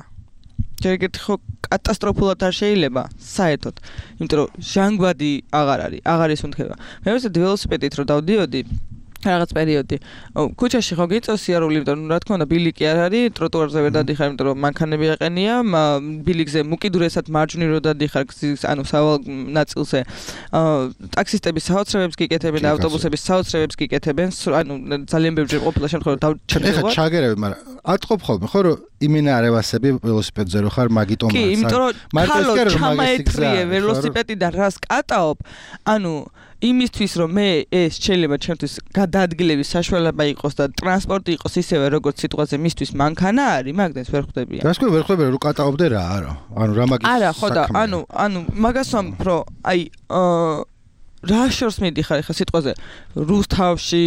ჯერგეთ ხო კატასტროფულად არ შეიძლება საერთოდ იმიტომ რომ ჟანგბადი აღარ არის აღარ ისუნთქება მე ვეცად ველოსიპედით რომ დავდიოდი რაღაც პერიოდი. ქუჩაში ხო გიწევს სიარული, იმიტომ რომ რა თქმა უნდა ბილიკი არ არის, ტროტუარზე ვერ დადიხარ, იმიტომ რომ მანქანები აყენია, ბილიკზე უკიდურესად მარჯვნივ რო დადიხარ, ანუ სავალ ნაწილზე ტაქსისტების საოცრებებს გიკეთებენ და ავტობუსების საოცრებებს გიკეთებენ, ანუ ძალიან ბევრჯერ ყოფილა შემთხვევა დავჩერდება. ეხლა ჩაგერები, მაგრამ ატყობ ხოლმე ხო რომ იმენა არევასები ველოსიპედზე რო ხარ მაგიტომ კი, იმიტომ რომ ხალხო ჩამაეთრიე ველოსიპედიდან რას კატაობ, ანუ იმისთვის რომ მე ეს შეიძლება ჩემთვის გადაადგილების საშუალება იყოს და ტრანსპორტი იყოს ისევე როგორც სიტყვაზე მისთვის მანქანა არის, მაგდენს ვერ ხვდებიან. რას ქვია ვერ ხვდებიან რომ კატაობდე რა არა. ანუ რა მაგის არა, ხო და ანუ ანუ მაგას ვამბობ, აი რა შორს მიდიხარ ხა სიტყვაზე რუსთავში,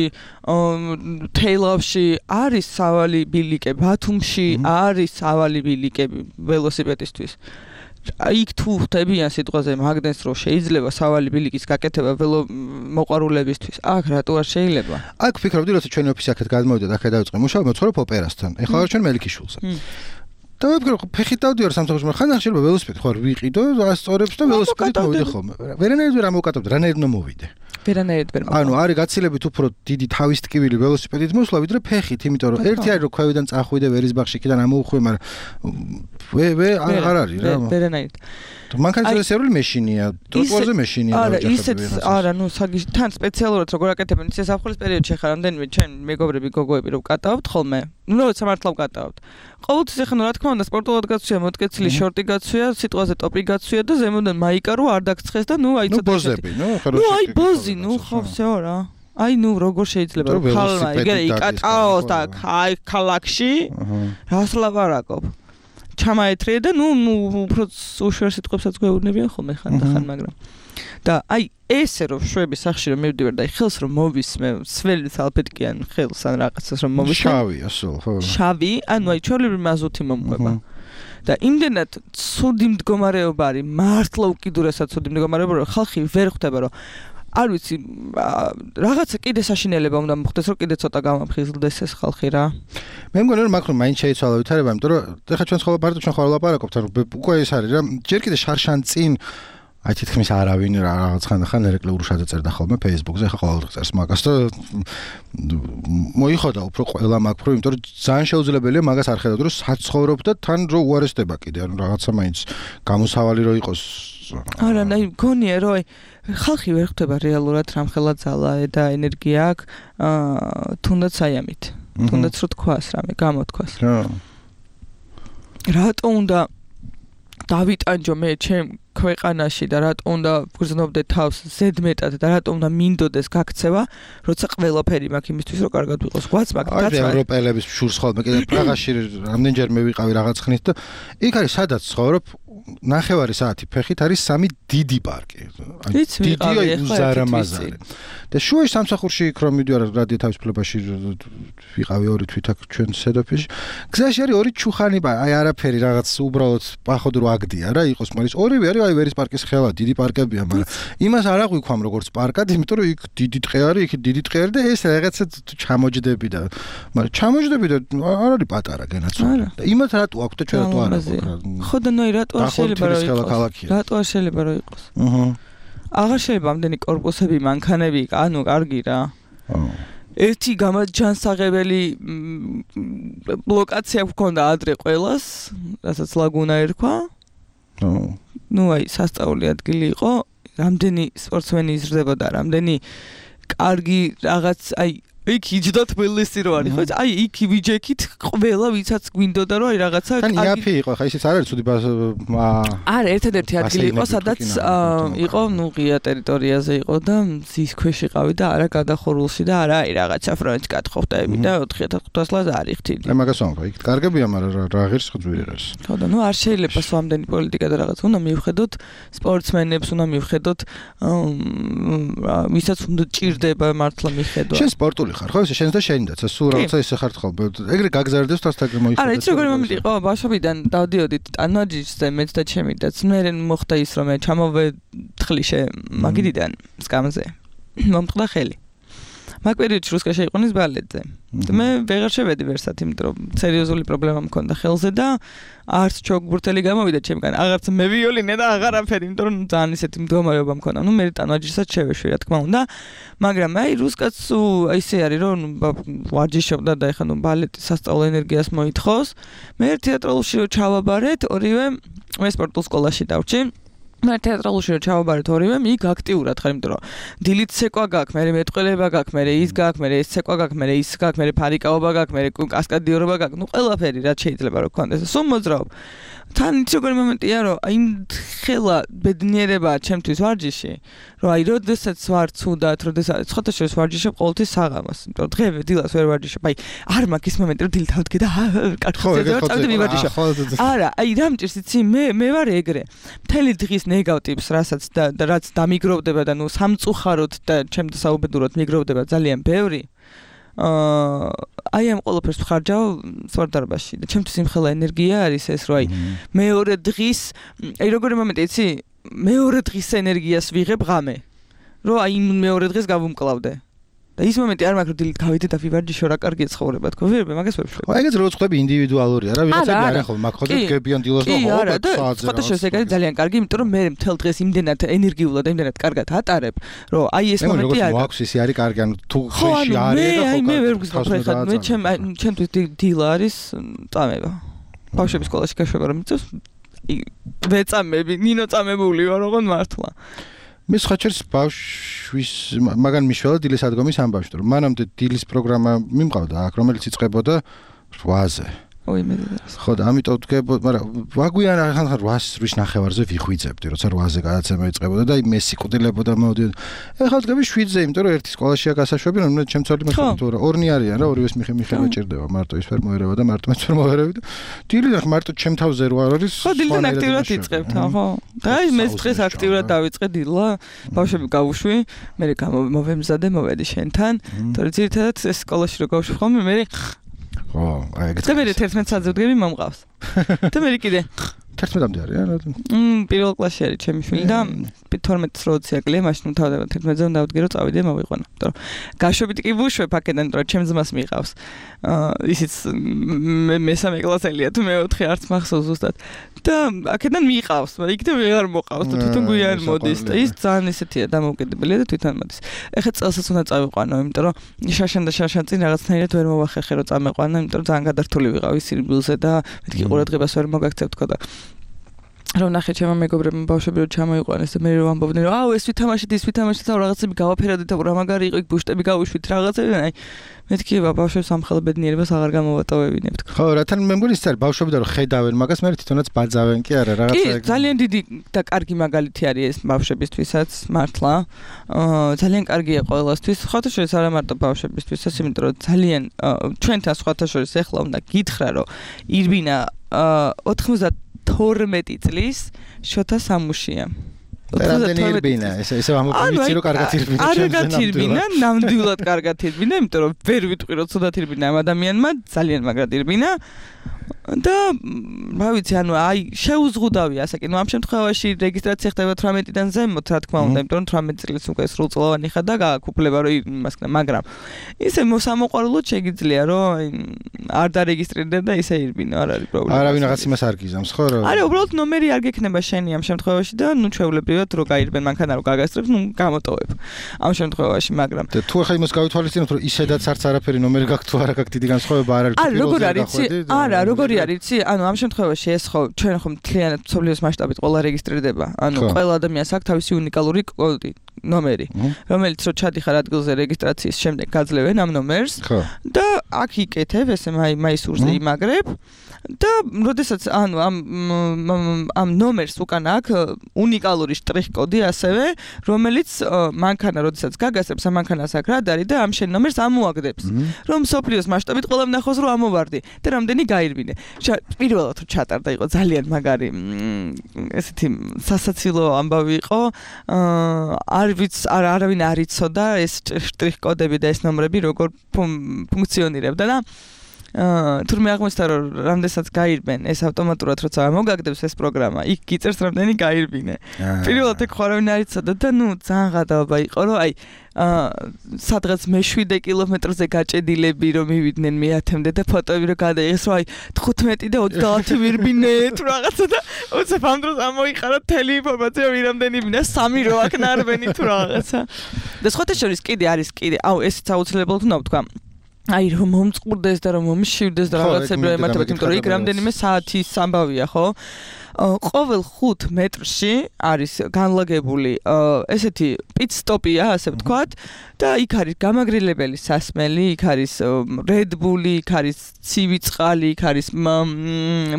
თეილავში არის სავალი ბილიკები, ბათუმში არის სავალი ბილიკები ველოსიპედისთვის. იქ თუ ხდებიან სიტყვაზე მაგდენს რომ შეიძლება სავალი ბილიკის გაკეთება ველო მოყვარულებისთვის. აქ რატო არ შეიძლება? აქ ფიქრობდი როცა ჩვენი ოფისი აქეთ გადმოვიდა და აქ დავიწყე მუშაობა, მოცხოვრობ ოპერასთან. ეხლა ვარ ჩვენ მელიქიშვილზე. და ვიფიქრე ფეხით დავდივარ სამსახურში, მაგრამ ხან შეიძლება ველოსიპედი ხო არ ვიყიდო, ასწორებს და ველოსიპედით მოვიდე ხოლმე. ვერანაირად ვერ ამოვკატებდი, რანაირად მომოვიდე. ვერანაირად ვერ. ანუ არის გაცილებით უფრო დიდი თავის ტკივილი ველოსიპედით მოსვლა, ვიდრე ფეხით, იმიტომ რომ ერთი არის რომ ქვევიდან წახვიდე ვერისბახში იქიდან ამოუხვე, მაგრამ ვე ვე აღარ არის რა. ვერანაირად. მანქანის სერვილი მეშინია, ტროტუარზე მეშინია. არა, ისეთ არა, ნუ საგიშ თან სპეციალურად როგორ აკეთებენ, ისე საფხულის პერიოდში ხარ რამდენიმე ჩვენ მეგობრები გოგოები რომ კატაობთ ხოლმე. ნუ როცა მართლა ვკატაობთ. ყოველთვის ეხლა რა თქმა უნდა სპორტულად გაცვია, მოტკეცილი შორტი გაცვია, სიტყვაზე ტოპი გაცვია და ზემოდან მაიკა რო არ დაგცხეს და ნუ აი ცოტა ბოზები, ნუ ხარო ნუ აი ბოზი, ნუ ხო всё რა. აი ნუ როგორ შეიძლება რომ ხალხა იგე იკატაოს და აი ქალაქში რას ლაპარაკობ. ჩამაეთრიე და ნუ ნუ უფრო უშუალო სიტყვებსაც გვეუბნებიან ხოლმე ხან და ხან, მაგრამ და აი ესე რომ შვები სახში რომ მივდივარ და აი ხელს რომ მოვისმე, სველი სალფეტკიან ხელს ან რაღაცას რომ მოვისმე. შავია სულ, ხო. შავი, ანუ აი ჩვეულებრივი მაზუთი მომყვება. და იმდენად ცუდი მდგომარეობა არის, მართლა უკიდურესად ცუდი მდგომარეობა, რომ ხალხი ვერ ხვდება რომ არ ვიცი რაღაცა კიდე საშინელება უნდა მოხდეს რომ კიდე ცოტა გამაფხიზლდეს ეს ხალხი რა. მე მგონი რომ მაქრო მაინც შეიცვალა ვითარება, იმიტომ რომ ეხლა ჩვენ ხოლმე პარტია ჩვენ ხოლმე ლაპარაკობთ, რომ უკვე ეს არის რა, ჯერ კიდე შარშან წინ აი თითქმის არავინ რაღაც ხან ერეკლეურ შადაწერდა ხოლმე Facebook-ზე, ეხლა ყოველდღე წერს მაგას და მოიხოდა უფრო ყველა მაგ პრო, იმიტომ რომ ძალიან შეუძლებელია მაგას არ ხედავთ, რომ საცხოვრობ და თან რო უარესდება კიდე, ანუ რაღაცა მაინც გამოსავალი რო იყოს. არა, აი გონია რომ აი ხალხი ვერ ხვდება რეალურად რამხელა ძალა და ენერგია აქვს, თუნდაც აი ამით. თუნდაც რო თქვას რამე, გამოთქვას. რატო უნდა დავიტანჯო მე ჩემ ქვეყანაში და რატო უნდა ვგრძნობდე თავს ზედმეტად და რატო უნდა მინდოდეს გაქცევა, როცა ყველაფერი მაქვს იმისთვის რომ კარგად ვიყოს. გვაც მაქვს დაცვა. აი ევროპელების შურს ხოლმე კიდე პრაღაში რამდენჯერმე ვიყავი რაღაც ხნით და იქ არის სადაც ცხოვრობ ნახევარი საათი ფეხით არის სამი დიდი პარკი. დიდია უზარმაზარი. და შუაში სამსახურში იქ რომ მიდივარ რადიო თავისუფლებაში ვიყავი ორი თვით აქ ჩვენ სედოფიში. გზაში არის ორი ჩუხანი, აი არაფერი რაღაც უბრალოდ პახოვდრო აგდია რა იყოს, მაგრამ ორივე არის აი ვერის პარკის ხელა, დიდი პარკებია, მაგრამ იმას არ აღვიქვამ როგორც პარკად, იმიტომ რომ იქ დიდი ტყე არის, იქ დიდი ტყე არის და ეს რაღაცა ჩამოჯდები და მაგრამ ჩამოჯდები და არ არის პატარა გენაცვლება. და იმათ რატო აქვს და ჩვენ რატო არ აქვს? ხო და ნუ რატო არ შეიძლება რომ იყოს? რატო არ შეიძლება რომ იყოს? აჰა. აღარ შეიძლება ამდენი კორპუსები, მანქანები, ანუ კარგი რა. ერთი გამაჯანსაღებელი ლოკაცია გვქონდა ადრე ყველას, რასაც ლაგუნა ერქვა. ნუ აი სასწაული ადგილი იყო, რამდენი სპორტსმენი იზრდებოდა, რამდენი კარგი რაღაც აი იქ იჯდათ ველესი რო არის, ხო? აი იქ ვიჯექით ყველა ვიცაც გვინდოდა რომ აი რაღაცა კარგი. ან იაფი იყო, ხა ისიც არ არის ცუდი არა, ერთადერთი ადგილი იყო, სადაც იყო, ნუ ღია ტერიტორიაზე იყო და მზის ქვეშ იყავი და არა გადახურულში და არა აი რაღაცა ფრონტ გათხოვდები და ოთხი ათას ხუთას ლაზა არ იხდიდი. აი მაგას ვამბობ, იქ კარგებია, მაგრამ რა ღირს ხძვირი არის. ხო და ნუ არ შეიძლება სამდენი პოლიტიკა და რაღაც უნდა მივხედოთ სპორტსმენებს, უნდა მივხედოთ ვისაც უნდა ჭირდება მართლა მიხედვა. შენ სპორტული ხარ, ხო? შენს და შენიდაც, სულ რაღაცა ისე ხარ ხოლმე. ეგრე გაგზავნდეს თავს თაგ მოიხდა. არა, იცი როგორი მომენტი იყო, ბავშვობიდან დავდიოდით ტანვაჯიშზე მეც და ჩემი და მე მოხდა ის რომ მე ჩამოვეთხლიში მაგიდიდან სკამზე. მომწყდა ხელი. მაგ პერიოდში რუსკაში იყვნენ ბალეტზე. მე ვეღარ შევედი ვერსად, იმიტომ რომ სერიოზული პრობლემა მქონდა ხელზე და არც ჩოგბურთელი გამოვიდა ჩემგან, აღარც მე ვიოლინე და აღარაფერი, იმიტომ რომ ძალიან ისეთი მდგომარეობა მქონდა. ნუ მე ტანვაჯიშსაც შევეშვი, რა თქმა უნდა, მაგრამ აი რუსკაც აი ისე არის, რომ ვარჯიშობდა და ეხლა ნუ ბალეტის სასწავლო ენერგიას მოითხოვს. მე თეატრალში რო ჩავაბარეთ, ორივე მე სპორტულ სკოლაში დავჭი. მე თეატრალში რო ჩავაბარეთ ორივე, იქ აქტიურად ხარ, იმიტომ რომ დილით ცეკვა გაქვს, მე მეტყველება გაქვს, მე ის გაქვს, მე ეს ცეკვა გაქვს, მე ის გაქვს, მე ფარიკაობა გაქვს, მე კასკადიორობა გაქვს, ნუ ყველაფერი რაც შეიძლება რომ გქონდეს. სულ მოძრაობ. თან ის როგორი მომენტია, რომ აი ხელა ბედნიერებაა ჩემთვის ვარჯიში, რომ აი როდესაც ვარ ცუდად, როდესაც სხვათა შორის ვარჯიშობ ყოველთვის საღამოს, იმიტომ რომ დღე დილას ვერ ვარჯიშობ, აი არ მაქვს ის მომენტი, რომ დილით ავდგე და კარტოზე და წავიდე მივარჯიშო. არა, აი რა მჭირს იცი, მე მე ვარ ეგრე. მთელი დღის ნეგატივს, რასაც და რაც დამიგროვდება და ნუ სამწუხაროდ და ჩემს საუბედუროდ მიგროვდება ძალიან ბევრი. აა აი ამ ყველაფერს ვხარჯავ სვარდარბაში და ჩემთვის იმხელა ენერგია არის ეს, რომ აი მეორე დღის, აი როგორი მომენტი იცი, მეორე დღის ენერგიას ვიღებ ღამე, რომ აი მეორე დღეს გავუმკლავდე. და ის მომენტი არ მაქვს, რომ დილით გავიდე და ვივარჯიშო, რა კარგია ცხოვრება თქო, ვერ მაგას ვერ ვშლებ. აი ეგეც რო ხვდები ინდივიდუალურია რა, ვიღაცები არ ახლა მაგ ხოთი გებიან დილას და ხო, საათზე. ხოთა შეს ეგ არის ძალიან კარგი, იმიტომ რომ მე მთელ დღეს იმდენად ენერგიულად და იმდენად კარგად ატარებ, რომ აი ეს მომენტი არის. მე მაქვს ისი არის კარგი, ანუ თუ ხეში არის და ხო. აი მე ვერ გზნობ ხა, მე ჩემ ჩემთვის დილა არის წამება. ბავშვების სკოლაში გაშვება რომ მიწევს ვეწამები, ნინო წამებული ვარ ოღონდ მართლა. მე სხვაჩერს ბავშვის მაგან მიშველა დილის ადგომის ამბავში, რომ მანამდე დილის პროგრამა მიმყავდა აქ, რომელიც იწყებოდა რვაზე. ой მე ხო და ამიტომ ვდგებოდ, მაგრამ ვაგვიან ახლა რვას ნახევარზე ვიხვიძებდი, როცა რვაზე გადაცემა იწყებოდა და მე სიკვდილებოდა მოდიოდა. ეხლა ვდგები შვიდზე, იმიტომ რომ ერთი სკოლაშია გასაშვები, რომ ჩემ ცოლი მე ხო რა, ორნი არიან რა, ორივეს მიხე მიხე მეჭირდება, მარტო ის ვერ მოერევა და მარტო მეც ვერ მოერევი და დილიდან მარტო ჩემ თავზე რო არის. ხო დილიდან აქტიურად იწყებთ, ხო. და აი მე დღეს აქტიურად დავიწყე დილა, ბავშვები გავუშვი, მე გამოვემზადე, მოვედი შენთან, თორე ძირითადად ეს სკოლაში რო გავუშვი ხოლმე, მე ხო, აი ეგეც. და მე თერთმეტ საათზე ვდგები მომყავს. და მე კიდე თერთმეტამდე არის რა? მმ, პირველ კლასში არის ჩემი შვილი და თორმეტს როცა აკლია, მაშინ თავდება თერთმეტზე უნდა დავდგე რომ წავიდე მოვიყვანო. იმიტომ რომ გაშვებით კი ვუშვებ აქედან, რომ ჩემ ძმას მიყავს. აა ისიც მესამე კლასელია თუ მეოთხე არც მახსოვს ზუსტად. და აქედან მიყავს, მაგრამ იქ და ვეღარ მოყავს და თვითონ გვიან მოდის და ის ძალიან ისეთია დამოუკიდებელია და თვითონ მოდის. ეხლა წელსაც უნდა წავიყვანო, იმიტომ რომ შაშან და შაშან წინ რაღაცნაირად ვერ მოვახერხე რომ წამეყვანა, იმიტომ რომ ძალიან გადართული ვიყავი სირბილზე და მეთქი ყურადღებას ვერ მოგაქცევ თქო და რომ ნახე ჩემო მეგობრებმა ბავშვები რომ ჩამოიყვანეს და მე რომ ამბობდნენ რომ აუ ეს ვითამაშეთ ის ვითამაშეთ და რაღაცები გავაფერადეთ და რა მაგარი იყო იქ ბუშტები გავუშვით რაღაცები აი მეთქი ბავშვებს ამხელა ბედნიერებას აღარ გამოვატოვებინებ თქო. ხო რათან მე მგონი ის არის ბავშვები და რომ ხედავენ მაგას მე თვითონაც ბაძავენ კი არა რაღაცა კი ძალიან დიდი და კარგი მაგალითი არის ეს ბავშვებისთვისაც მართლა აა ძალიან კარგია ყველასთვის სხვათა შორის არა მარტო ბავშვებისთვისაც იმიტომ რომ ძალიან ჩვენთან სხვათა შორის ეხლა უნდა გითხრა რომ ირბინა ოთხმოცდათორმეტი წლის შოთა სამუშია. რამდენი ირბინა? ეს ესე ამოვიცი რომ კარგად ირბინა ჩემს კარგად ირბინა, ნამდვილად კარგად ირბინა, იმიტომ რომ ვერ ვიტყვი რომ ცუდად ირბინა ამ ადამიანმა, ძალიან მაგრად ირბინა. და რა ვიცი, ანუ აი შეუზღუდავი ასაკი. ნუ ამ შემთხვევაში რეგისტრაცია ხდება თვრამეტიდან ზემოთ, რა თქმა უნდა, იმიტომ რომ თვრამეტი წლის უკვე სრულწლოვანი ხარ და გააკუფლება რომ იმას ქნა, მაგრამ ისე მოსამოყვარულოდ შეგიძლია რომ არ დარეგისტრირდე და ისე ირბინო, არ არის პრობლემა. არავინ რაღაც იმას არ გიზამს, ხო რა? არა, უბრალოდ ნომერი არ გექნება შენი ამ შემთხვევაში და ნუ ჩვეულებრივად რო გაირბენ მანქანა რო გაგასწრებს, ნუ გამოტოვებ. ამ შემთხვევაში, მაგრამ და თუ ახლა იმას გავითვალისწინებთ რომ ისედაც არც არაფერი ნომერი გაქვს თუ არა გაქვს დიდი განსხვავება არ არის თუ როგორ არის? არა, როგორ არის? იცი, ანუ ამ შემთხვევაში ეს ხო ჩვენ ხო მთლიანად მსოფლიოს მასშტაბით ყველა რეგისტრირდება. ანუ ყველა ადამიანს აქვს თავისი უნიკალური კოდი, ნომერი, რომელიც რო ჩადიხარ ადგილზე რეგისტრაციის შემდეგ გაძლევენ ამ ნომერს და აქ იკეთებ, ესე მაისურზე იმაგრებ და როდესაც ანუ ამ ამ ნომერს უკან აქვს უნიკალური შტრიხ-კოდი ასევე, რომელიც მანქანა როდესაც გაგასწრებს ამ მანქანას აქ რა არის და ამ შენ ნომერს ამოაგდებს, რომ მსოფლიოს მასშტაბით ყველამ ნახოს რომ ამოვარდი და რამდენი გაირბინე. პირველად რომ ჩატარდა იყო ძალიან მაგარი ესეთი სასაცილო ამბავი იყო. არ ვიცი, არავინ არ იცოდა ეს შტრიხ-კოდები და ეს ნომრები როგორ ფუნქციონირებდა და აა თურმე აღმოჩნდა რომ რამდენსაც გაირბენ ეს ავტომატურად როცა მოგაგდებს ეს პროგრამა იქ გიწერს რამდენი გაირბინე პირველად ეგ ხარავინ არ იცოდა და ნუ ძალიან გადაობა იყო რომ აი აა სადღაც მეშვიდე კილომეტრზე გაჭედილები რომ მივიდნენ მეათემდე და ფოტოები რომ გადაიღეს რომ აი თხუთმეტი და ოცდაათი ვირბინე თუ რაღაცა და უცებ ამ დროს ამოიყარა თელი ინფორმაცია ვირამდენი ვინა სამი რო აქ ნარბენი თუ რაღაცა და სხვათა შორის კიდე არის კიდე აუ ესეც აუცილებლად უნდა ვთქვა აი რომ მომწყურდეს და რომ მომშივდეს და რაღაცები რომ ემართებათ იმიტომ რომ იქ რამდენიმე საათის ამბავია ხო ყოველ ხუთ მეტრში არის განლაგებული ესეთი პიტ-სტოპია, ასე ვთქვათ, და იქ არის გამაგრილებელი სასმელი, იქ არის Red Bull-ი, იქ არის ცივი წყალი, იქ არის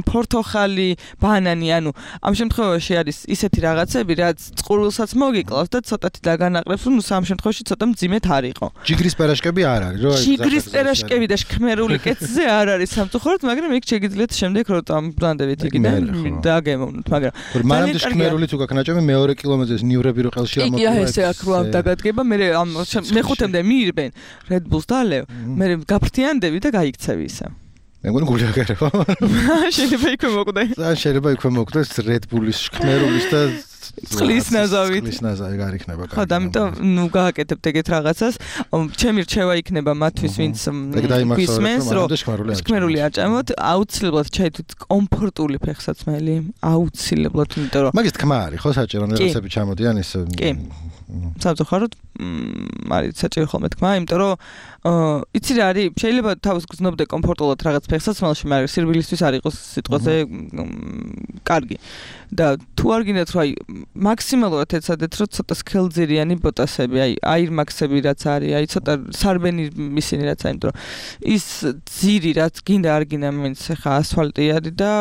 ფორთოხალი, ბანანი, ანუ ამ შემთხვევაში არის ისეთი რაღაცები, რაც წყურვილსაც მოგიკლავს და ცოტათი დაგანაყრებს, რომ სამ შემთხვევაში ცოტა მძიმედ არ იყო. ჯიგრის პერაშკები არ არის, რო აი ჯიგრის პერაშკები და შქმერული კეცზე არ არის სამწუხაროდ, მაგრამ იქ შეგიძლიათ შემდეგ რომ დამბრანდებით იქიდან და გემოვნოთ, მაგრამ მანამდე შქმერული თუ გაქვს ნაჭამი მეორე კილომეტრზე ნივრები რო ყელში ამოკვდა. იქ ესე აქ რო დაგადგება, მე ამ მეხუთემდე მიირბენ Red Bull-ს და ლევ, მე გაფრთიანდები და გაიქცევი ისე. მე მგონი გული აგერება. შეიძლება იქვე მოკვდე. ან შეიძლება იქვე მოკვდეს Red Bull-ის შქმერულის და წყლის ნაზავით. წყლის ნაზავი არ იქნება კარგი. ხო, და ამიტომ ნუ გააკეთებთ ეგეთ რაღაცას. ჩემი რჩევა იქნება მათთვის, ვინც გვისმენს, რომ შქმერული აჭამოთ, აუცილებლად ჩაითვით კომფორტული ფეხსაცმელი, აუცილებლად, იმიტომ რომ მაგის თქმა არის, ხო, საჭირო რაღაცები ჩამოდიან ის. კი. სამწუხაროდ არის საჭირო ხოლმე თქმა, იმიტომ რომ იცი რა არის, შეიძლება თავს გრძნობდე კომფორტულად რაღაც ფეხსაცმელში, მაგრამ სირბილისთვის არ იყოს სიტყვაზე კარგი. და თუ არ გინდათ რომ აი მაქსიმალურად ეცადეთ რომ ცოტა სქელძირიანი ბოტასები, აი აირმაქსები რაც არის, აი ცოტა სარბენი ისინი რაც არის, იმიტომ რომ ის ძირი რაც გინდა არ გინდა მაინც ხა ასფალტი არის და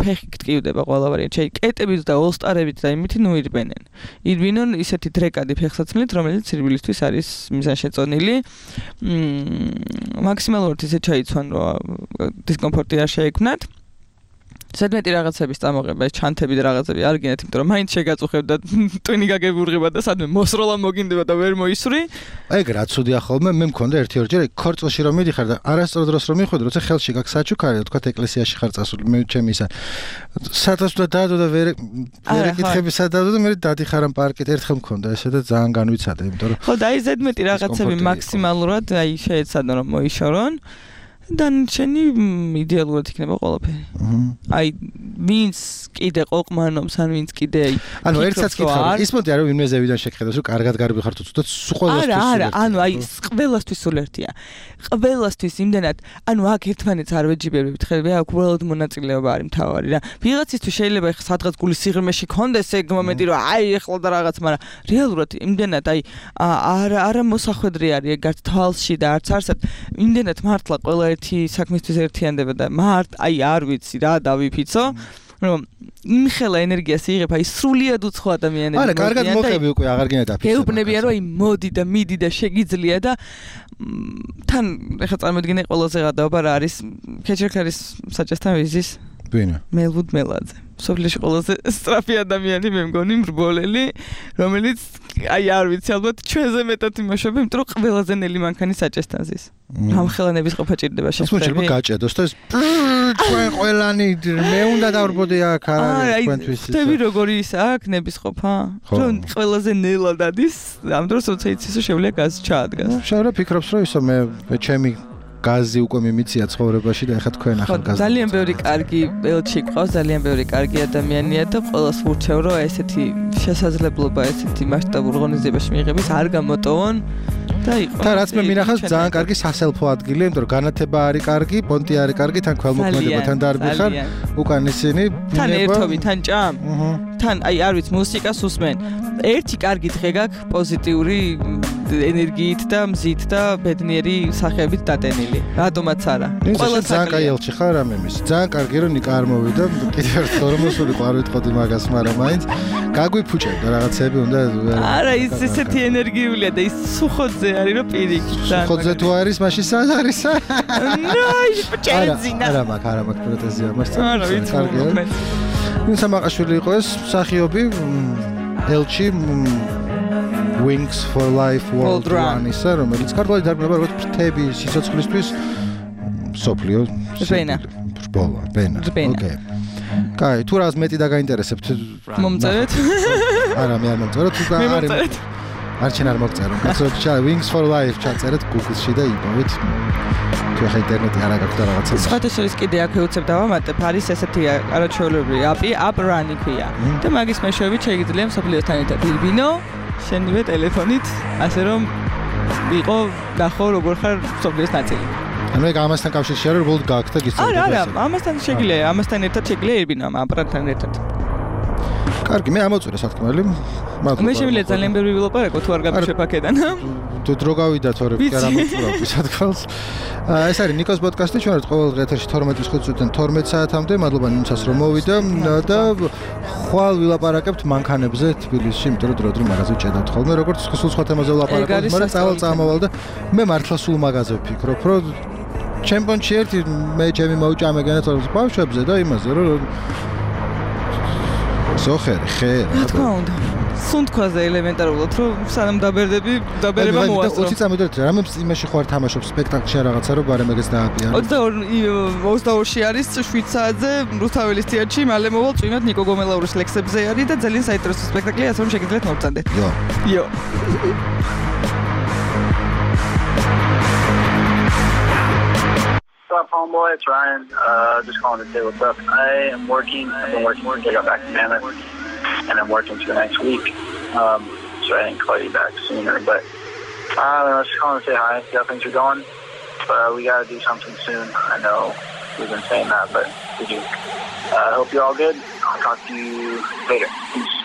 ფეხი გტკივდება ყველა ვარიანტი. აი კეტებით და ოლსტარებით და იმითი ნუ ირბენენ. ირბინონ ისეთი დრეკადი ფეხსაცმელით, რომელიც სირბილისთვის არის მიზანშეწონილი. მაქსიმალურად ისე ჩაიცვან რომ დისკომფორტი არ შეექმნათ. ზედმეტი რაღაცების წამოღება, ეს ჩანთები და რაღაცები არ გინდათ, იმიტომ რომ მაინც შეგაწუხებ და ტვინი გაგებურღება და სადმე მოსროლა მოგინდება და ვერ მოისვრი. ეგ რა ცუდია ხოლმე, მე მქონდა ერთი ორჯერ ქორწილში რომ მიდიხარ და არასწორ დროს რომ მიხვიდე, როცა ხელში გაქვს საჩუქარი, თქვა ეკლესიაში ხარ წასული, მე ჩემი ისა. სადასვლა დაადო და ვერ ვერ ეკითხები სადადო და მე დადიხარ ამ პარკით, ერთხელ მქონდა ესე და ძალიან განვიცადე, იმიტომ რომ ხო და აი ზედმეტი რაღაცები მაქსიმალურად აი შეეცადონ რომ მოიშორონ. დანარჩენი იდეალურად იქნება ყველაფერი. აი ვინც კიდე ყოყმანობს, ან ვინც კიდე აი ანუ ერთსაც კითხავ, ის მოდი არა ვინმე ზევიდან შეგხედავს, რომ კარგად გარბი ხარ თუ ცუდად ყველასთვის. არა, არა, ანუ აი ყველასთვის სულ ერთია. ყველასთვის იმდენად, ანუ აქ ერთმანეთს არ ვეჯიბებებით, ხელი აქ უბრალოდ მონაწილეობა არის მთავარი რა. ვიღაცისთვის შეიძლება ეხლა სადღაც გულის სიღრმეში კონდეს ეგ მომენტი, რომ აი ეხლა და რაღაც, მაგრამ რეალურად იმდენად აი არა არა მოსახვედრი არის ეგ არც თვალში და არც არსად, იმდენად მართლა ყველა ერთი საქმისთვის ერთიანდება და მარტ აი არ ვიცი რა დავიფიცო რომ იმხელა ენერგიას იღებ აი სრულიად უცხო ადამიანები არა კარგად მოხები უკვე აღარ გინდა დაფიცო გეუბნებია რომ აი მოდი და მიდი და შეგიძლია და თან ეხლა წარმოიდგინე ყველაზე გადაობა რა არის ქეჩერქარის საჭესთან ვიზის ვინა მელვუდ მელაძე სოფლიოში ყველაზე სწრაფი ადამიანი მე მგონი მრბოლელი რომელიც აი არ ვიცი ალბათ ჩვენზე მეტად იმუშავებ იმიტომ რომ ყველაზე ნელი მანქანი საჭესთან ზის ამ ხელანების ყოფა ჭირდება შეხვდები მოჭირდება გაჭედოს და ეს ჩვენ ყველანი მე უნდა დავრბოდე აქ არა თქვენთვის ის ხტები როგორი ის აქ ნების ყოფა რომ ყველაზე ნელად ადის ამ დროს როცა იცის რომ შევლია გაზი ჩაადგას შავრა ფიქრობს რომ ისო მე ჩემი გაზი უკვე მიმიცია ცხოვრებაში და ეხლა თქვენ ახალ გაზს ძალიან ბევრი კარგი ელჩი ყავს ძალიან ბევრი კარგი ადამიანია და ყველას ვურჩევ რომ ესეთი შესაძლებლობა ესეთი მასშტაბურ ღონისძიებაში მიიღების არ გამოტოვონ და იყო და რაც მე მინახავს ძალიან კარგი სასელფო ადგილია იმიტომ რომ განათება არის კარგი პონტი არის კარგი თან ქველმოქმედება თან დარბი ხარ უკან ისინი თან ერთობი თან ჭამ თან აი არ ვიცი მუსიკას უსმენ ერთი კარგი დღე გაქვს პოზიტიური ენერგიით და მზით და ბედნიერი სახეებით დატენილი. რატომაც არა. ყველა ძალიან კაი ელჩი ხარ ამემის. ძალიან კარგი რომ ნიკა არ მოვიდა. კიდევ ერთხელ რომ მოსულიყო არ ვიტყოდი მაგას, მაგრამ მაინც გაგვიფუჭებდა რაღაცები უნდა. არა, ის ესეთი ენერგიულია და ის სუხოძე არის რომ პირიქით. სუხოძე თუ არის, მაშინ სად არის? ნაი, პჭენზინა. არა, მაგ არა მაგ პროტეზია მას. არა, ვიცი. კარგია. ვინ სამაყაშვილი იყო ეს მსახიობი ელჩი Wings for Life World Run ისა, რომელიც ქართულად დარბება როგორც ფრთები სიცოცხლისთვის სოფლიო ბენა. ბოლა, ბენა. ოკეი. კაი, თუ რას მეტი დაგაინტერესებთ? მომწერეთ. არა, მე არ მომწეროთ, თუ არის. არჩენ არ მოგწერო. კაცოჩა Wings for Life ჩაწერეთ Google-ში და იპოვეთ. თუ ახლა ინტერნეტი არ აქვს და რაღაცა. სხვათა შორის კიდე აქ ვეუცებ დავამატებ, არის ესეთი არაჩვეულებრივი აპი, App Run ქვია. და მაგის მეშვეობით შეიძლება მსოფლიოსთან ერთად იბინო, შენივე ტელეფონით, ასე რომ იყო ნახო როგორ ხარ მსოფლიოს ნაწილი. ანუ ეგ ამასთან კავშირში არის, რომ გააქვს და გისწავლეთ. არა, არა, ამასთან შეგიძლია, ამასთან ერთად შეგიძლია იბინო ამ აპარატთან ერთად. კარგი, მე ამოწურე სათქმელი. მე შემიძლია ძალიან ბევრი ვილაპარაკო თუ არ გაგიშვებ აქედან. თუ დრო გავიდა თორე კი არ ამოწურავ სათქმელს. ეს არის ნიკოს პოდკასტი, ჩვენ ვართ ყოველ დღე ეთერში თორმეტის ხუთი წუთიდან თორმეტ საათამდე. მადლობა ნინცას რომ მოვიდა და ხვალ ვილაპარაკებთ მანქანებზე თბილისში, იმიტომ რომ დრო-დრო მაღაზიაში ჭედავთ ხოლმე, როგორც სულ სხვა თემაზე ვილაპარაკებთ, მაგრამ წავალ წამოვალ და მე მართლა სულ მაღაზზე ვფიქრობ, რომ ჩემპიონში ერთი მე ჩემი მოუჭამე განაცხადებს ბავშვებზე და იმაზე რომ ზოხერი, ხე, რა თქმა უნდა. სუნთქვაზე ელემენტარულად, რომ სანამ დაბერდები, დაბერება მოასწრო. ოცი წამიდოთ, რამე იმაში ხوار თამაშობს სპექტაკლში რაღაცა, რომ ბარემ ეგეც დააპიანო. ოცდაორი არის შვიდ საათზე რუსთაველის თეატრში, მალე მოვალ წვიმად ნიკო გომელაურის ლექსებზე არის და ძალიან საინტერესო სპექტაკლია, ასე რომ შეგიძლიათ მოვწანდეთ. იო. იო. What's up, homeboy? It's Ryan. Uh, just calling to say what's up. I am working. I've been working. I got back to Mammoth, and I'm working for the next week. Um, so I didn't call you back sooner, but uh, I was just calling to say hi, see how things are going. But uh, we got to do something soon. I know we've been saying that, but we do. I uh, hope you're all good. I'll talk to you later. Peace.